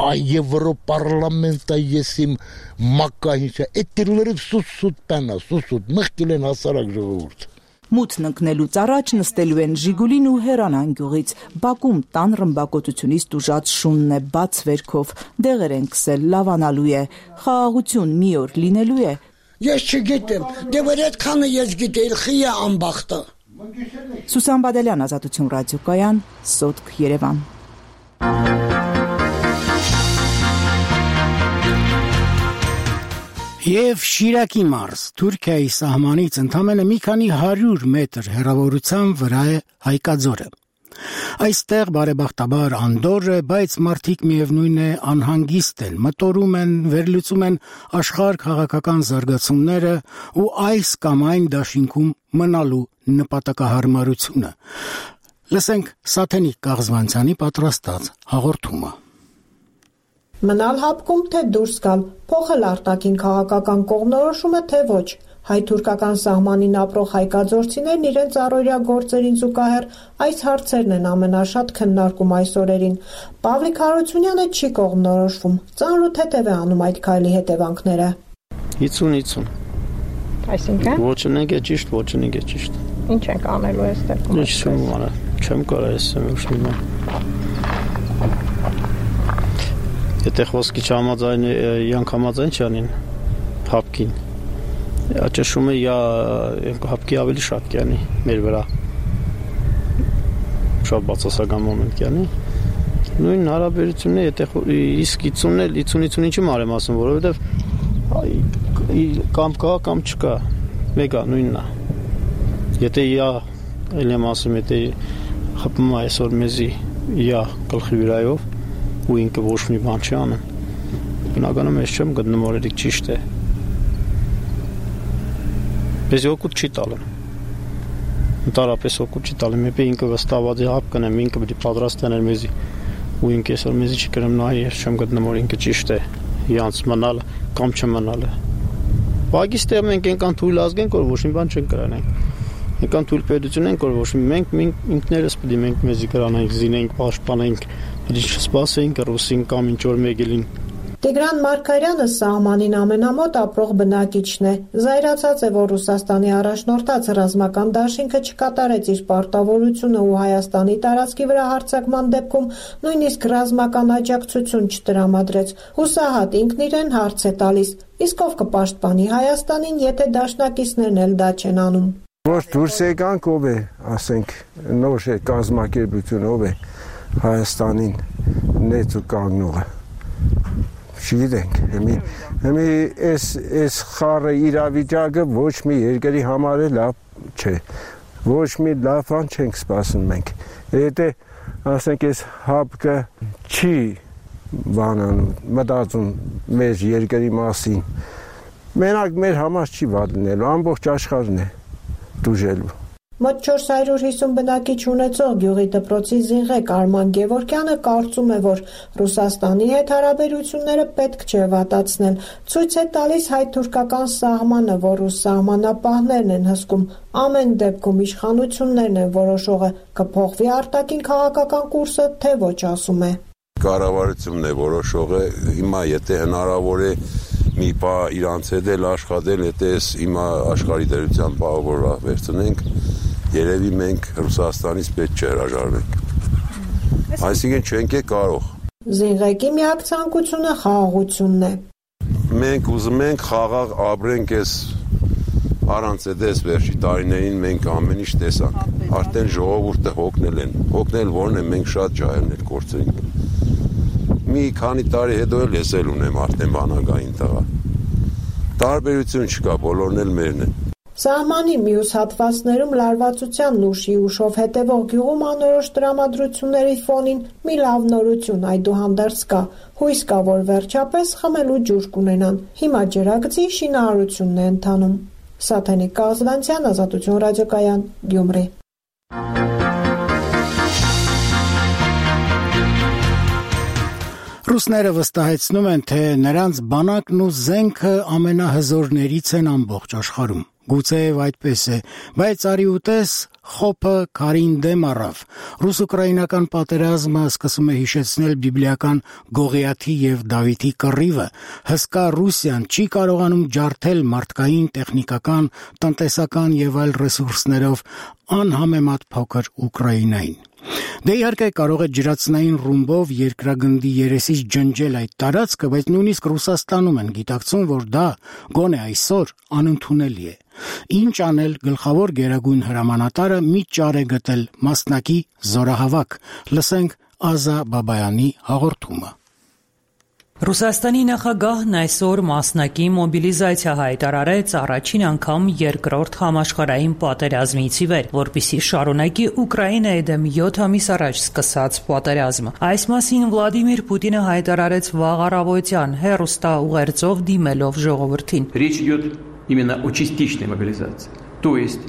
այ Եվրոպարլամենտը եսիմ մակա ինչա, այդ դիրլերը սուսուտ պենա, սուսուտ, մղկել են հասարակ ժողովուրդ։ Մութն ընկնելուց առաջ նստելու են Ժիգուլին ու Հերանան գյուղից, բակում տան ռմբակոծությունից տուժած շունն է բաց վերքով, դեղեր են քսել, լավանալու է, խաղաղություն մի օր լինելու է։ Ես չգիտեմ, դե որ այդքանը ես գիտեի, խիա անբախտը։ Սուսան Բադալյան, Ազատություն ռադիոկայան, Սոտք, Երևան։ Եվ Շիրակի մարզ, Թուրքիայի սահմանից ընդամենը մի քանի 100 մետր հեռավորության վրա է Հայկաձորը։ Այստեղ բարեբախտաբար անդորր է, բայց մարդիկ միևնույն է անհանգիստ են, մտորում են, վերլուծում են աշխարհ քաղաքական զարգացումները ու այս կամ այն դաշինքում մնալու նպատակահարմարությունը։ Լսենք Սաթենիկ Կաղզվանցյանի պատրաստած հաղորդումը։ Մնալ հապկում, թե դուրս գալ, փոխել արտաքին քաղաքական կողմնորոշումը, թե ոչ։ Հայ-թուրքական սահմանին ապրող հայկաձորցիներն իրենց առօրյա գործերին զուգահեռ այս հարցերն են ամենաշատ քննարկում այս օրերին։ Պավլիկ Հարությունյանը չի կողմնորոշվում, ծանր ու թեթև է անում այդ քայլի հետևանքները։ 50-50։ Այսինքն։ Ոչինչ է ճիշտ, ոչինչ է ճիշտ։ Ինչ ենք անելու այս դեպքում։ Ինչ չեմ անել, չեմ կարող ասեմ ուշիմ։ Եթե խոսքի չհամաձայն իրանք համաձայն չանին հապկին։ Աճշումը հապկի ավելի շատ կյանի մեր վրա։ Շատ բացասական մոմենտ կյանի։ Նույն հարաբերությունն է, եթե իսկ 50-50-ին չեմ արեմ ասում, որովհետև կամ կա, կամ չկա։ Մեկա նույնն է։ Եթե էլ եմ ասում, եթե խփում է այսօր մեզի գլխի վրայով ու ինքը ոչ մի բան չի անում։ Բնականում ես չեմ գտնում, որ դա ճիշտ է։ Ես օգուտ չի տալու։ Ընդհանրապես օգուտ չի տալու։ Մեկ ինքը վստահված է հապ կնեմ, ինքը պետք է պատրաստ անել մեզի։ Ու ինքը այսօր մեզի չի կրեմ նայ, ես չեմ գտնում, որ ինքը ճիշտ է։ Իրանց մնալ կամ չմնալը։ Պակիստանը մենք այնքան թույլ ազգ ենք, որ ոչ մի բան չենք կրանենք։ Այնքան թույլ պետություն ենք, որ ոչ մենք ինքներս պետք է մենք մեզի կրանենք, զինենք, պաշտպանենք, պետք է չսպասենք ռուսին կամ ինչ որ մեկելին։ Տիգրան Մարգարյանը սահմանին ամենամոտ ապրող բնակիչն է։ Զայրացած է, որ Ռուսաստանի առաջնորդած ռազմական դաշինքը չկատարեց իր պարտավորությունը ու Հայաստանի տարածքի վրա հարձակման դեպքում նույնիսկ ռազմական աջակցություն չտրամադրեց։ Հուսահատ ինքն իրեն հարց է տալիս. իսկ ով կպաշտպանի Հայաստանին, եթե դաշնակիցներն էլ դա չեն անում։ Որ դուրս եկանք, ով է, ասենք, նոր կազմակերպություն, ով է Հայաստանին նեծ ու կանգնողը։ Չգիտենք, հիմի այս խառը իրավիճակը ոչ մի երկրի համար է լավ չէ, ոչ մի լավ բան չենք սպասում մենք, եթե ասենք այս հապկը չի մտածում մեր երկրի մասին, մենակ մեր համար չի վատ լինելու, ամբողջ աշխարհն է դուժելու։ Մոտ 450 բնակիչ ունեցող գյուղի դպրոցի զինղեկ Արման Գևորգյանը կարծում է, որ Ռուսաստանի հետ հարաբերությունները պետք չէ վատացնել։ Ցույց է տալիս հայ-թուրքական սահմանը, որ ռուս սահմանապահներն են հսկում։ Ամեն դեպքում իշխանություններն են որոշողը, կփոխվի արտաքին քաղաքական կուրսը, թե ոչ, ասում է։ Կառավարությունն է որոշողը, հիմա եթե հնարավոր է մի բա իրանց հետ էլ աշխատել, եթե հիմա աշխարհի դերության բաղ վերցնենք, երևի մենք Ռուսաստանից պետք չէ հրաժարվենք։ Այսինքն չենք կարող։ Զինղեկի միակ ցանկությունը խաղաղությունն է։ Մենք ուզում ենք խաղաղ ապրենք այս առանց այդպես վերջի տարիներին մենք ամեն ինչ տեսանք։ Արդեն ժողովուրդը հոգնել են։ Հոգնել որն է, մենք շատ ջահելներ կորցրինք։ Մի քանի տարի հետո էլ ես էլ ունեմ արդեն բանակային տղա։ Տարբերություն չկա, բոլորն էլ մերն են։ Սահմանի մյուս հատվածներում լարվածության ուշի ուշով հետևող գյուղում անորոշ տրամադրությունների ֆոնին մի լավ նորություն այդուհանդերձ կա։ Հույս կա, որ վերջապես խմելու ջուր կունենան։ Հիմա ջրագծի շինարարությունն է ընթանում։ Սաթենիկ Կազվանցյան, Ազատություն ռադիոկայան, Գյումրի։ Ռուսները վստահեցնում են, թե նրանց բանակն ու զենքը ամենահզորներից են ամբողջ աշխարհում։ Գուցեև այդպես է, բայց արի ուտես խոփը քարին դեմ առավ։ Ռուս-ուկրաինական պատերազմը սկսում է հիշեցնել բիբլիական Գողիաթի եւ Դավիթի կռիվը։ Հսկա Ռուսիան չի կարողանում ջարդել մարդկային, տեխնիկական, տնտեսական եւ այլ ռեսուրսներով անհամեմատ փոքր Ուկրաինային։ Դե իհարկե կարող է ջրածնային ռումբով երկրագնդի երեսից ջնջել այդ տարածքը, բայց նույնիսկ Ռուսաստանում են գիտակցում, որ դա գոնե այսօր անընդունելի է։ Ինչ անել, գլխավոր գերագույն հրամանատարը մի ճար է գտել՝ մասնակի զորահավաք։ Լսենք Ազա Բաբայանի հաղորդումը։ Ռուսաստանի նախագահն այսօր մասնակի մոբիլիզացիա հայտարարեց առաջին անգամ երկրորդ համաշխարհային պատերազմից ի վեր, որպեսզի շարունակի Ուկրաինայի դեմ 7 ամիս առաջ սկսած պատերազմը։ Այս մասին Վլադիմիր Պուտինը հայտարարեց վաղ առավոտյան հեռուստաուղերձով դիմելով ժողովրդին։ Речь идет именно о частичной мобилизации. То есть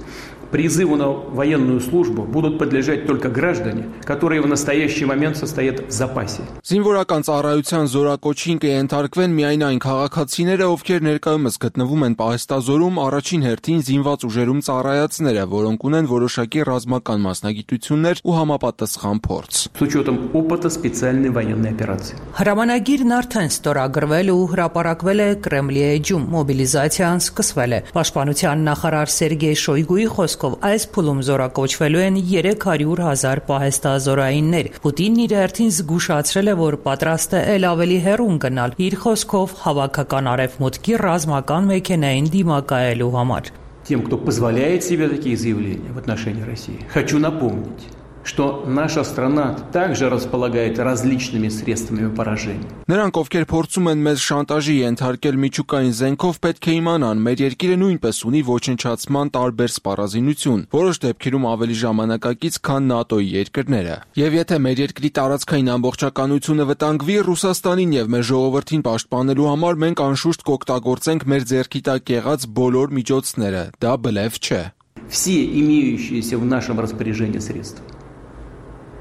призыву на военную службу будут подлежать только граждане, которые в настоящий момент состоят в запасе. Զինվորական ծառայության զորակոչին կենթարկվեն միայն այն քաղաքացիները, ովքեր ներկայումս գտնվում են պահեստազորում, առաջին հերթին զինված ուժերում ծառայածները, որոնք ունեն որոշակի ռազմական մասնագիտություններ ու համապատասխան փորձ։ С учетом опыта специальной военной операции. Հրամանագիրն արդեն ստորագրվել ու հրապարակվել է Կրեմլի էջում։ Մոբիլիզացիան սկսվել է։ Պաշտպանության նախարար Սերգեյ Շոյգուի այս փուլում զորակոչվելու են 300,000 պահեստազորայիններ։ Պուտինն իր հերթին զգուշացրել է, որ պատրաստ է ել ավելի հեռուն գնալ, իր խոսքով հավաքական արևմուտքի ռազմական մեքենային դիմակայելու համար։ Тем, кто позволяет себе такие заявления в отношении России, хочу напомнить, что наша страна также располагает различными средствами поражения. Նրանք, ովքեր փորձում են մեզ շանտաժի ենթարկել միջուկային զենքով, պետք է իմանան, մեր երկիրը նույնպես ունի ոչնչացման տարբեր սպառազինություն, որոշ դեպքերում ավելի ժամանակակից, քան ՆԱՏՕ-ի երկրները։ Եվ եթե մեր երկրի տարածքային ամբողջականությունը վտանգվի, Ռուսաստանին եւ մեր ժողովրդին պաշտպանելու համար մենք անշուշտ կօգտագործենք մեր ձեռքի տակ եղած բոլոր միջոցները։ Դա բլեֆ չէ։ Все имеющиеся в нашем распоряжении средства.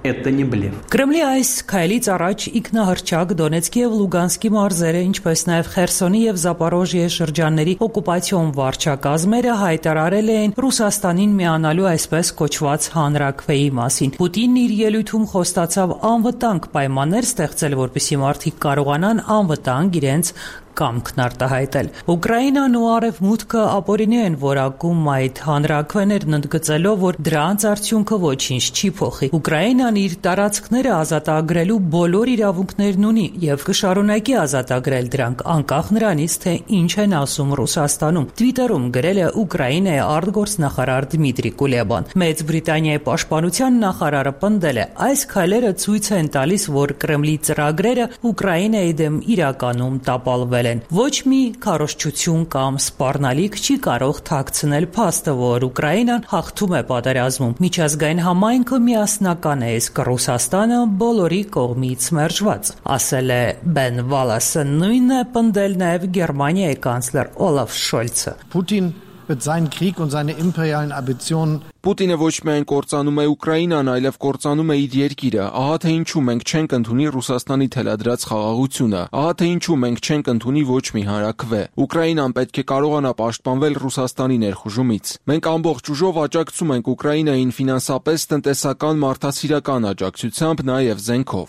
Это не блеф. Կրեմլի այս քայլից առաջ ինքնահռչակ Դոնեցկի եւ Լուգանսկի մարզերը, ինչպես նաեւ Խերսոնի եւ Զապորոժիե շրջանների օկուպացիոն վարչակազմերը հայտարարել էին Ռուսաստանին միանալու այսպես կոչված հանրաքվեի մասին։ Պուտինն իր ելույթում խոստացավ անվտանգ պայմաններ ստեղծել, որպեսզի մարդիկ կարողանան անվտանգ իրենց կամքն արտահայտել։ Ուկրաինան ու Արևմուտքը ապօրինի են որակում այդ հանրաքվեներն ընդգծելով, որ դրանց արդյունքը ոչինչ չի փոխի։ Ուկրաինան իր տարածքները ազատագրելու բոլոր իրավունքներն ունի եւ կշարունակի ազատագրել դրանք, անկախ նրանից, թե ինչ են ասում Ռուսաստանում։ Twitter-ում գրել է Ուկրաինայի արտգործնախարար Դմիտրի Կուլեբան։ Մեծ Բրիտանիայի պաշտպանության նախարարը պնդել է, այս քայլերը ցույց են տալիս, որ Կրեմլի ծրագրերը Ուկրաինայի դեմ իրականում տապալվել են։ Ոչ մի քարոզչություն կամ սպառնալիք չի կարող թաքցնել փաստը, որ Ուկրաինան հաղթում է պատերազմում։ Միջազգային համայնքը միասնական է, իսկ Ռուսաստանը բոլորի կողմից մերժված, ասել է Բեն Վալասը, նույնն է պնդել նաև Գերմանիայի կանցլեր Օլաֆ Շոլցը։ Putin wird seinen Krieg und seine imperialen Ambitionen Պուտինը ոչ միայն կործանում է Ուկրաինան, այլև կործանում է իր երկիրը։ Ահա թե ինչու մենք չենք ընդունի Ռուսաստանի թելադրած խաղաղությունը։ Ահա թե ինչու մենք չենք ընդունի ոչ մի հանրաքվե։ Ուկրաինան պետք է կարողանա պաշտպանվել Ռուսաստանի ներխուժումից։ Մենք ամբողջ ուժով աջակցում ենք Ուկրաինային ֆինանսապես, տնտեսական, մարդասիրական աջակցությամբ, նաև զենքով։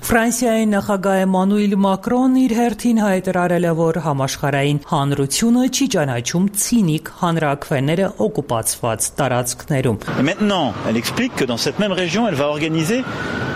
Ֆրանսիայի նախագահ Էմանուել Մակրոն իր հերթին հայտարարել է, որ համաշխարհային հանրությունը չի ճանաչում ցինիկ հանրաքվեները օկուպացված տարածքներում։ Maintenant, elle explique que dans cette même région, elle va organiser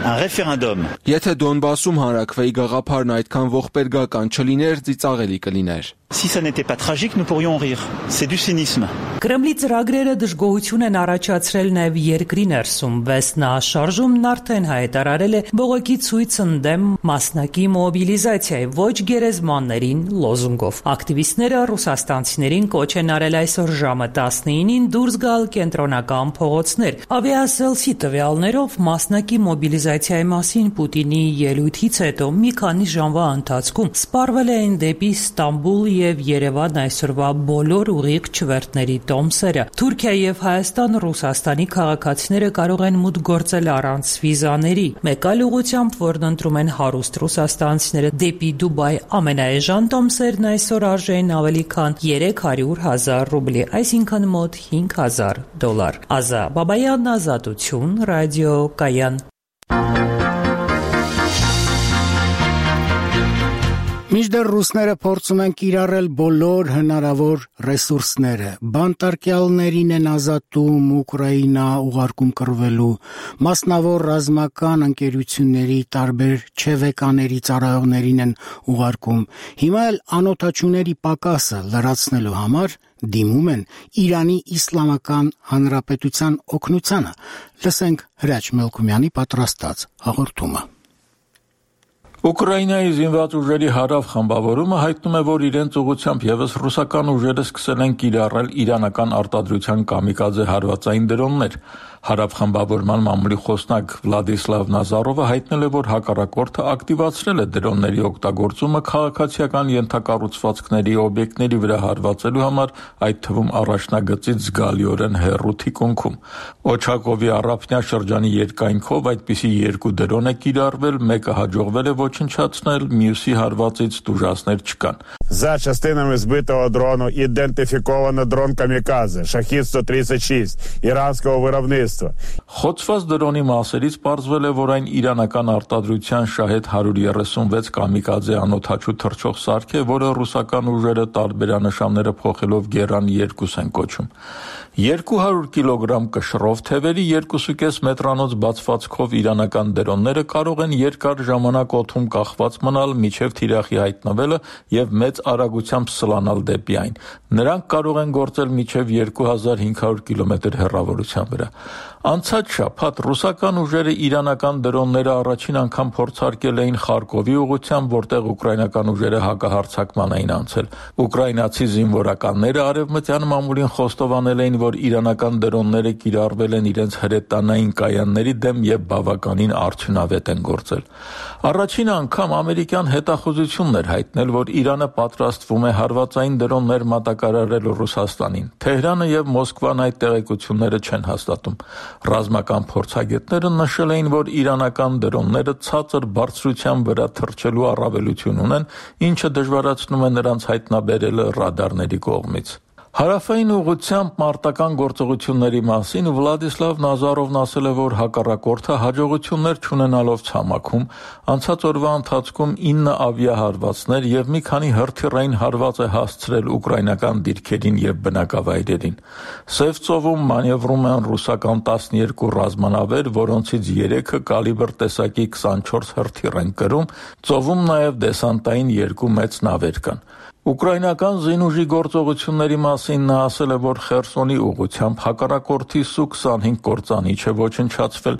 un référendum. Եթե Դոնբասում հանրաքվեի գաղափարն այդքան ողբերգական չլիներ, ծիծաղելի կլիներ։ Si ça n'était pas tragique, nous pourrions rire. C'est du cynisme. Կրեմլի ծրագրերը դժգոհություն են առաջացրել նաև երկրի ներսում։ Վեսնա շարժումն արդեն հայտարարել է բողոքի ցույց ընդդեմ մասնակի մոբիլիզացիայի ոչ գերեզմաններին լոզունգով։ Ակտիվիստները ռուսաստանցիներին կոչ են արել այսօր ժամը 19-ին դուրս գալ կենտրոնական փողոցներ։ Ավիասելսի տվյալներով մասնակի մոբիլիզացիայի մասին Պուտինի ելույթից հետո մի քանի ժամվա ընթացքում սպառվել են դեպի Ստամբուլ եւ Երևան այսօրվա բոլոր ուղիղ չվերթների տոմսերը։ Թուրքիա եւ Հայաստան Ռուսաստանի քաղաքացիները կարող են մուտք գործել առանց վիզաների։ Մեկ այլ ուղղությամբ, որն ընտրում են հարուստ ռուսաստանցիները դեպի Դուբայ, ամենաէժան տոմսերն այսօր արժեին ավելի քան 300,000 ռուբլի, այսինքն մոտ $5,000։ Ազա Բաբայան, Ազատություն, Ռադիո Կայան։ Մինչդեռ ռուսները փորձում են կիրառել բոլոր հնարավոր ռեսուրսները, բանտարկյալներին են ազատում, Ուկրաինա ուղարկում կռվելու, մասնավոր ռազմական ընկերությունների տարբեր չևեկաների ծառայողներին են ուղարկում, հիմա էլ անօթաչուների պակասը լրացնելու համար դիմում են Իրանի Իսլամական Հանրապետության օգնությանը։ Լսենք Հրաչ Մելքումյանի պատրաստած հաղորդումը։ Ուկրաինայի զինված ուժերի հարավ խմբավորումը հայտնում է, որ իրենց ուղղությամբ եւս ռուսական ուժերը սկսել են կիրառել իրանական արտադրության կամիկաձե հարվածային դրոններ։ Հարավ խմբավորման մամուլի խոսնակ Վլադիսլավ Նազարովը հայտնել է, որ հակառակորդը ակտիվացրել է դրոնների օգտագործումը քաղաքացիական ենթակառուցվածքների օբյեկտների վրա հարվածելու համար, այդ թվում առաջնագծից զգալիորեն հեռու թիկունքում։ Օչակովի առափնյա շրջանի երկայնքով այդպիսի երկու դրոն է կիրառվել, մեկը հաջողվել է ոչնչացնել, մյուսի հարվածից տուժածներ չկան։ За частинами збитого дрону ідентифіковано дрон «Камікадзе» «Шахід-136» իրանского виробництва։ Խոցված դրոնի մասերից պարզվել է, որ այն իրանական արտադրության Շահեդ 136 կամիկաձե անօթաչու թռչող սարք է, որը ռուսական ուժերը տարբերանշանները փոխելով Գերան 2 են կոչում։ 200 կիլոգրամ կշռով թևերի 2.5 մետրանոց բացվածքով իրանական դրոնները կարող են երկար ժամանակ օդում կախված մնալ մինչև թիրախի հայտնվելը եւ մեծ արագությամբ սլանալ դեպի այն։ Նրանք կարող են գործել մինչև 2500 կիլոմետր հեռավորության վրա։ Անցած շաբաթ ռուսական ուժերը իրանական դրոնները առաջին անգամ փորձարկել էին Խարկովի ուղղությամբ, որտեղ ուկրաինական ուժերը հակահարձակման էին անցել։ Ուկրաինացի զինվորականները արևմտյան մամուլին խոստովանել էին, որ իրանական դրոնները կիրառվել են իրենց հրետանային կայանների դեմ եւ բավականին արդյունավետ են գործել։ Առաջին անգամ ամերիկյան հետախուզությունն էր հայտնել, որ Իրանը պատրաստվում է հարվածային դրոններ մատակարարել Ռուսաստանին։ Թեհրանը եւ Մոսկվան այդ տեղեկությունները չեն հաստատում։ Ռազմական փորձագետները նշել էին, որ իրանական դրոնները ցածր բարձրության վրա թռչելու առավելություն ունեն, ինչը դժվարացնում է նրանց հայտնաբերելը ռադարների կողմից։ Հարավային ուղղությամբ մարտական գործողությունների մասին Վլադիսլավ Նազարովն ասել է, որ հակառակորդը հաջողություններ չունենալով ցամաքում անցած օրվա ընթացքում 9 ավիահարվածներ եւ մի քանի հրթիռային հարված է հասցրել ուկրաինական դիրքերին եւ բնակավայրերին։ Սև ծովում մանևրում են ռուսական 12 ռազմանավեր, որոնցից 3-ը կալիբր տեսակի 24 հրթիռ են կրում, ծովում նաեւ դեսանտային 2 մեծ նավեր կան։ Ուկրաինական զինուժի գործողությունների մասին նա ասել է, որ Խերսոնի ուղղությամբ հակառակորդի Սու-25 կործանիչ է ոչնչացվել։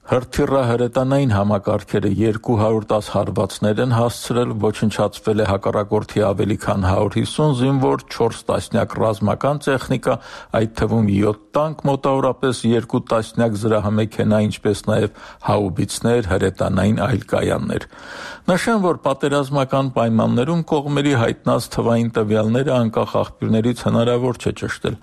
Հրթիռը հրետանային համակարգերը 210 հարվածներ են հասցրել, ոչնչացվել է հակառակորդի ավելի քան 150 զինվոր, 4 տասնյակ ռազմական տեխնիկա, այդ թվում 7 տանկ, մոտավորապես 2 տասնյակ զրահամեքենա, ինչպես նաև հաուբիցներ, հրետանային այլ կայաններ։ Նշեմ, որ պատերազմական պայմաններում կողմերի հայտնած թվային տվյալները անկախ աղբյուրներից հնարավոր չէ ճշտել։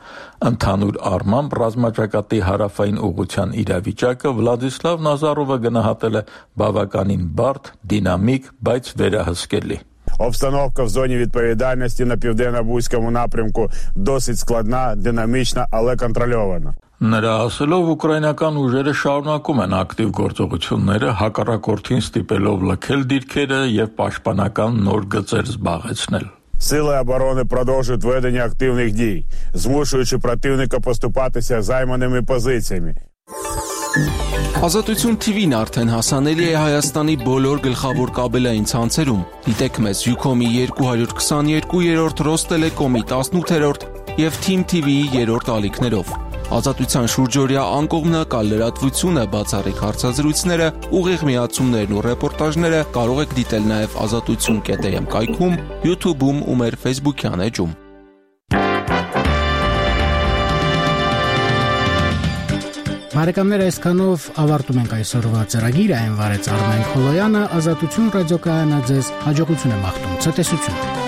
Ընդհանուր առմամբ ռազմաճակատի հարավային ուղղության իրավիճակը Վլադիսլավ Նազարովը գնահատել է բավականին բարդ, դինամիկ, բայց վերահսկելի։ Обстановка в зоні відповідальності на південно-бузькому напрямку досить складна, динамічна, але контрольована. Նրա ասելով ուկրաինական ուժերը շարունակում են ակտիվ գործողությունները, հակառակորդին ստիպելով լքել դիրքերը եւ պաշտպանական նոր գծեր զբաղեցնել։ Сили оборони продовжують ведення активних дій, змушуючи противника поступатися займаними позиціями. Ազատություն TV-ն արդեն հասանելի է Հայաստանի բոլոր գլխավոր կաբելային ցանցերում։ Դիտեք մեզ Ucom-ի 222-րդ, Ռոստելեկոմի 18-րդ եւ Team TV-ի 3-րդ ալիքներով։ Ազատության շուրջօրյա անկողմնակալ լրատվությունը, բացառիկ հարցազրույցները, ուղիղ միացումներն ու ռեպորտաժները կարող եք դիտել նաև azatutsun.am կայքում, YouTube-ում ու մեր Facebook-յան էջում։ Բարեկամներ, այսքանով ավարտում ենք այսօրվա ծրագիրը, այն վարեց Արմեն Խոլոյանը, Ազատություն ռադիոկայանը ձեզ հաջողություն է մաղթում, ցտեսություն։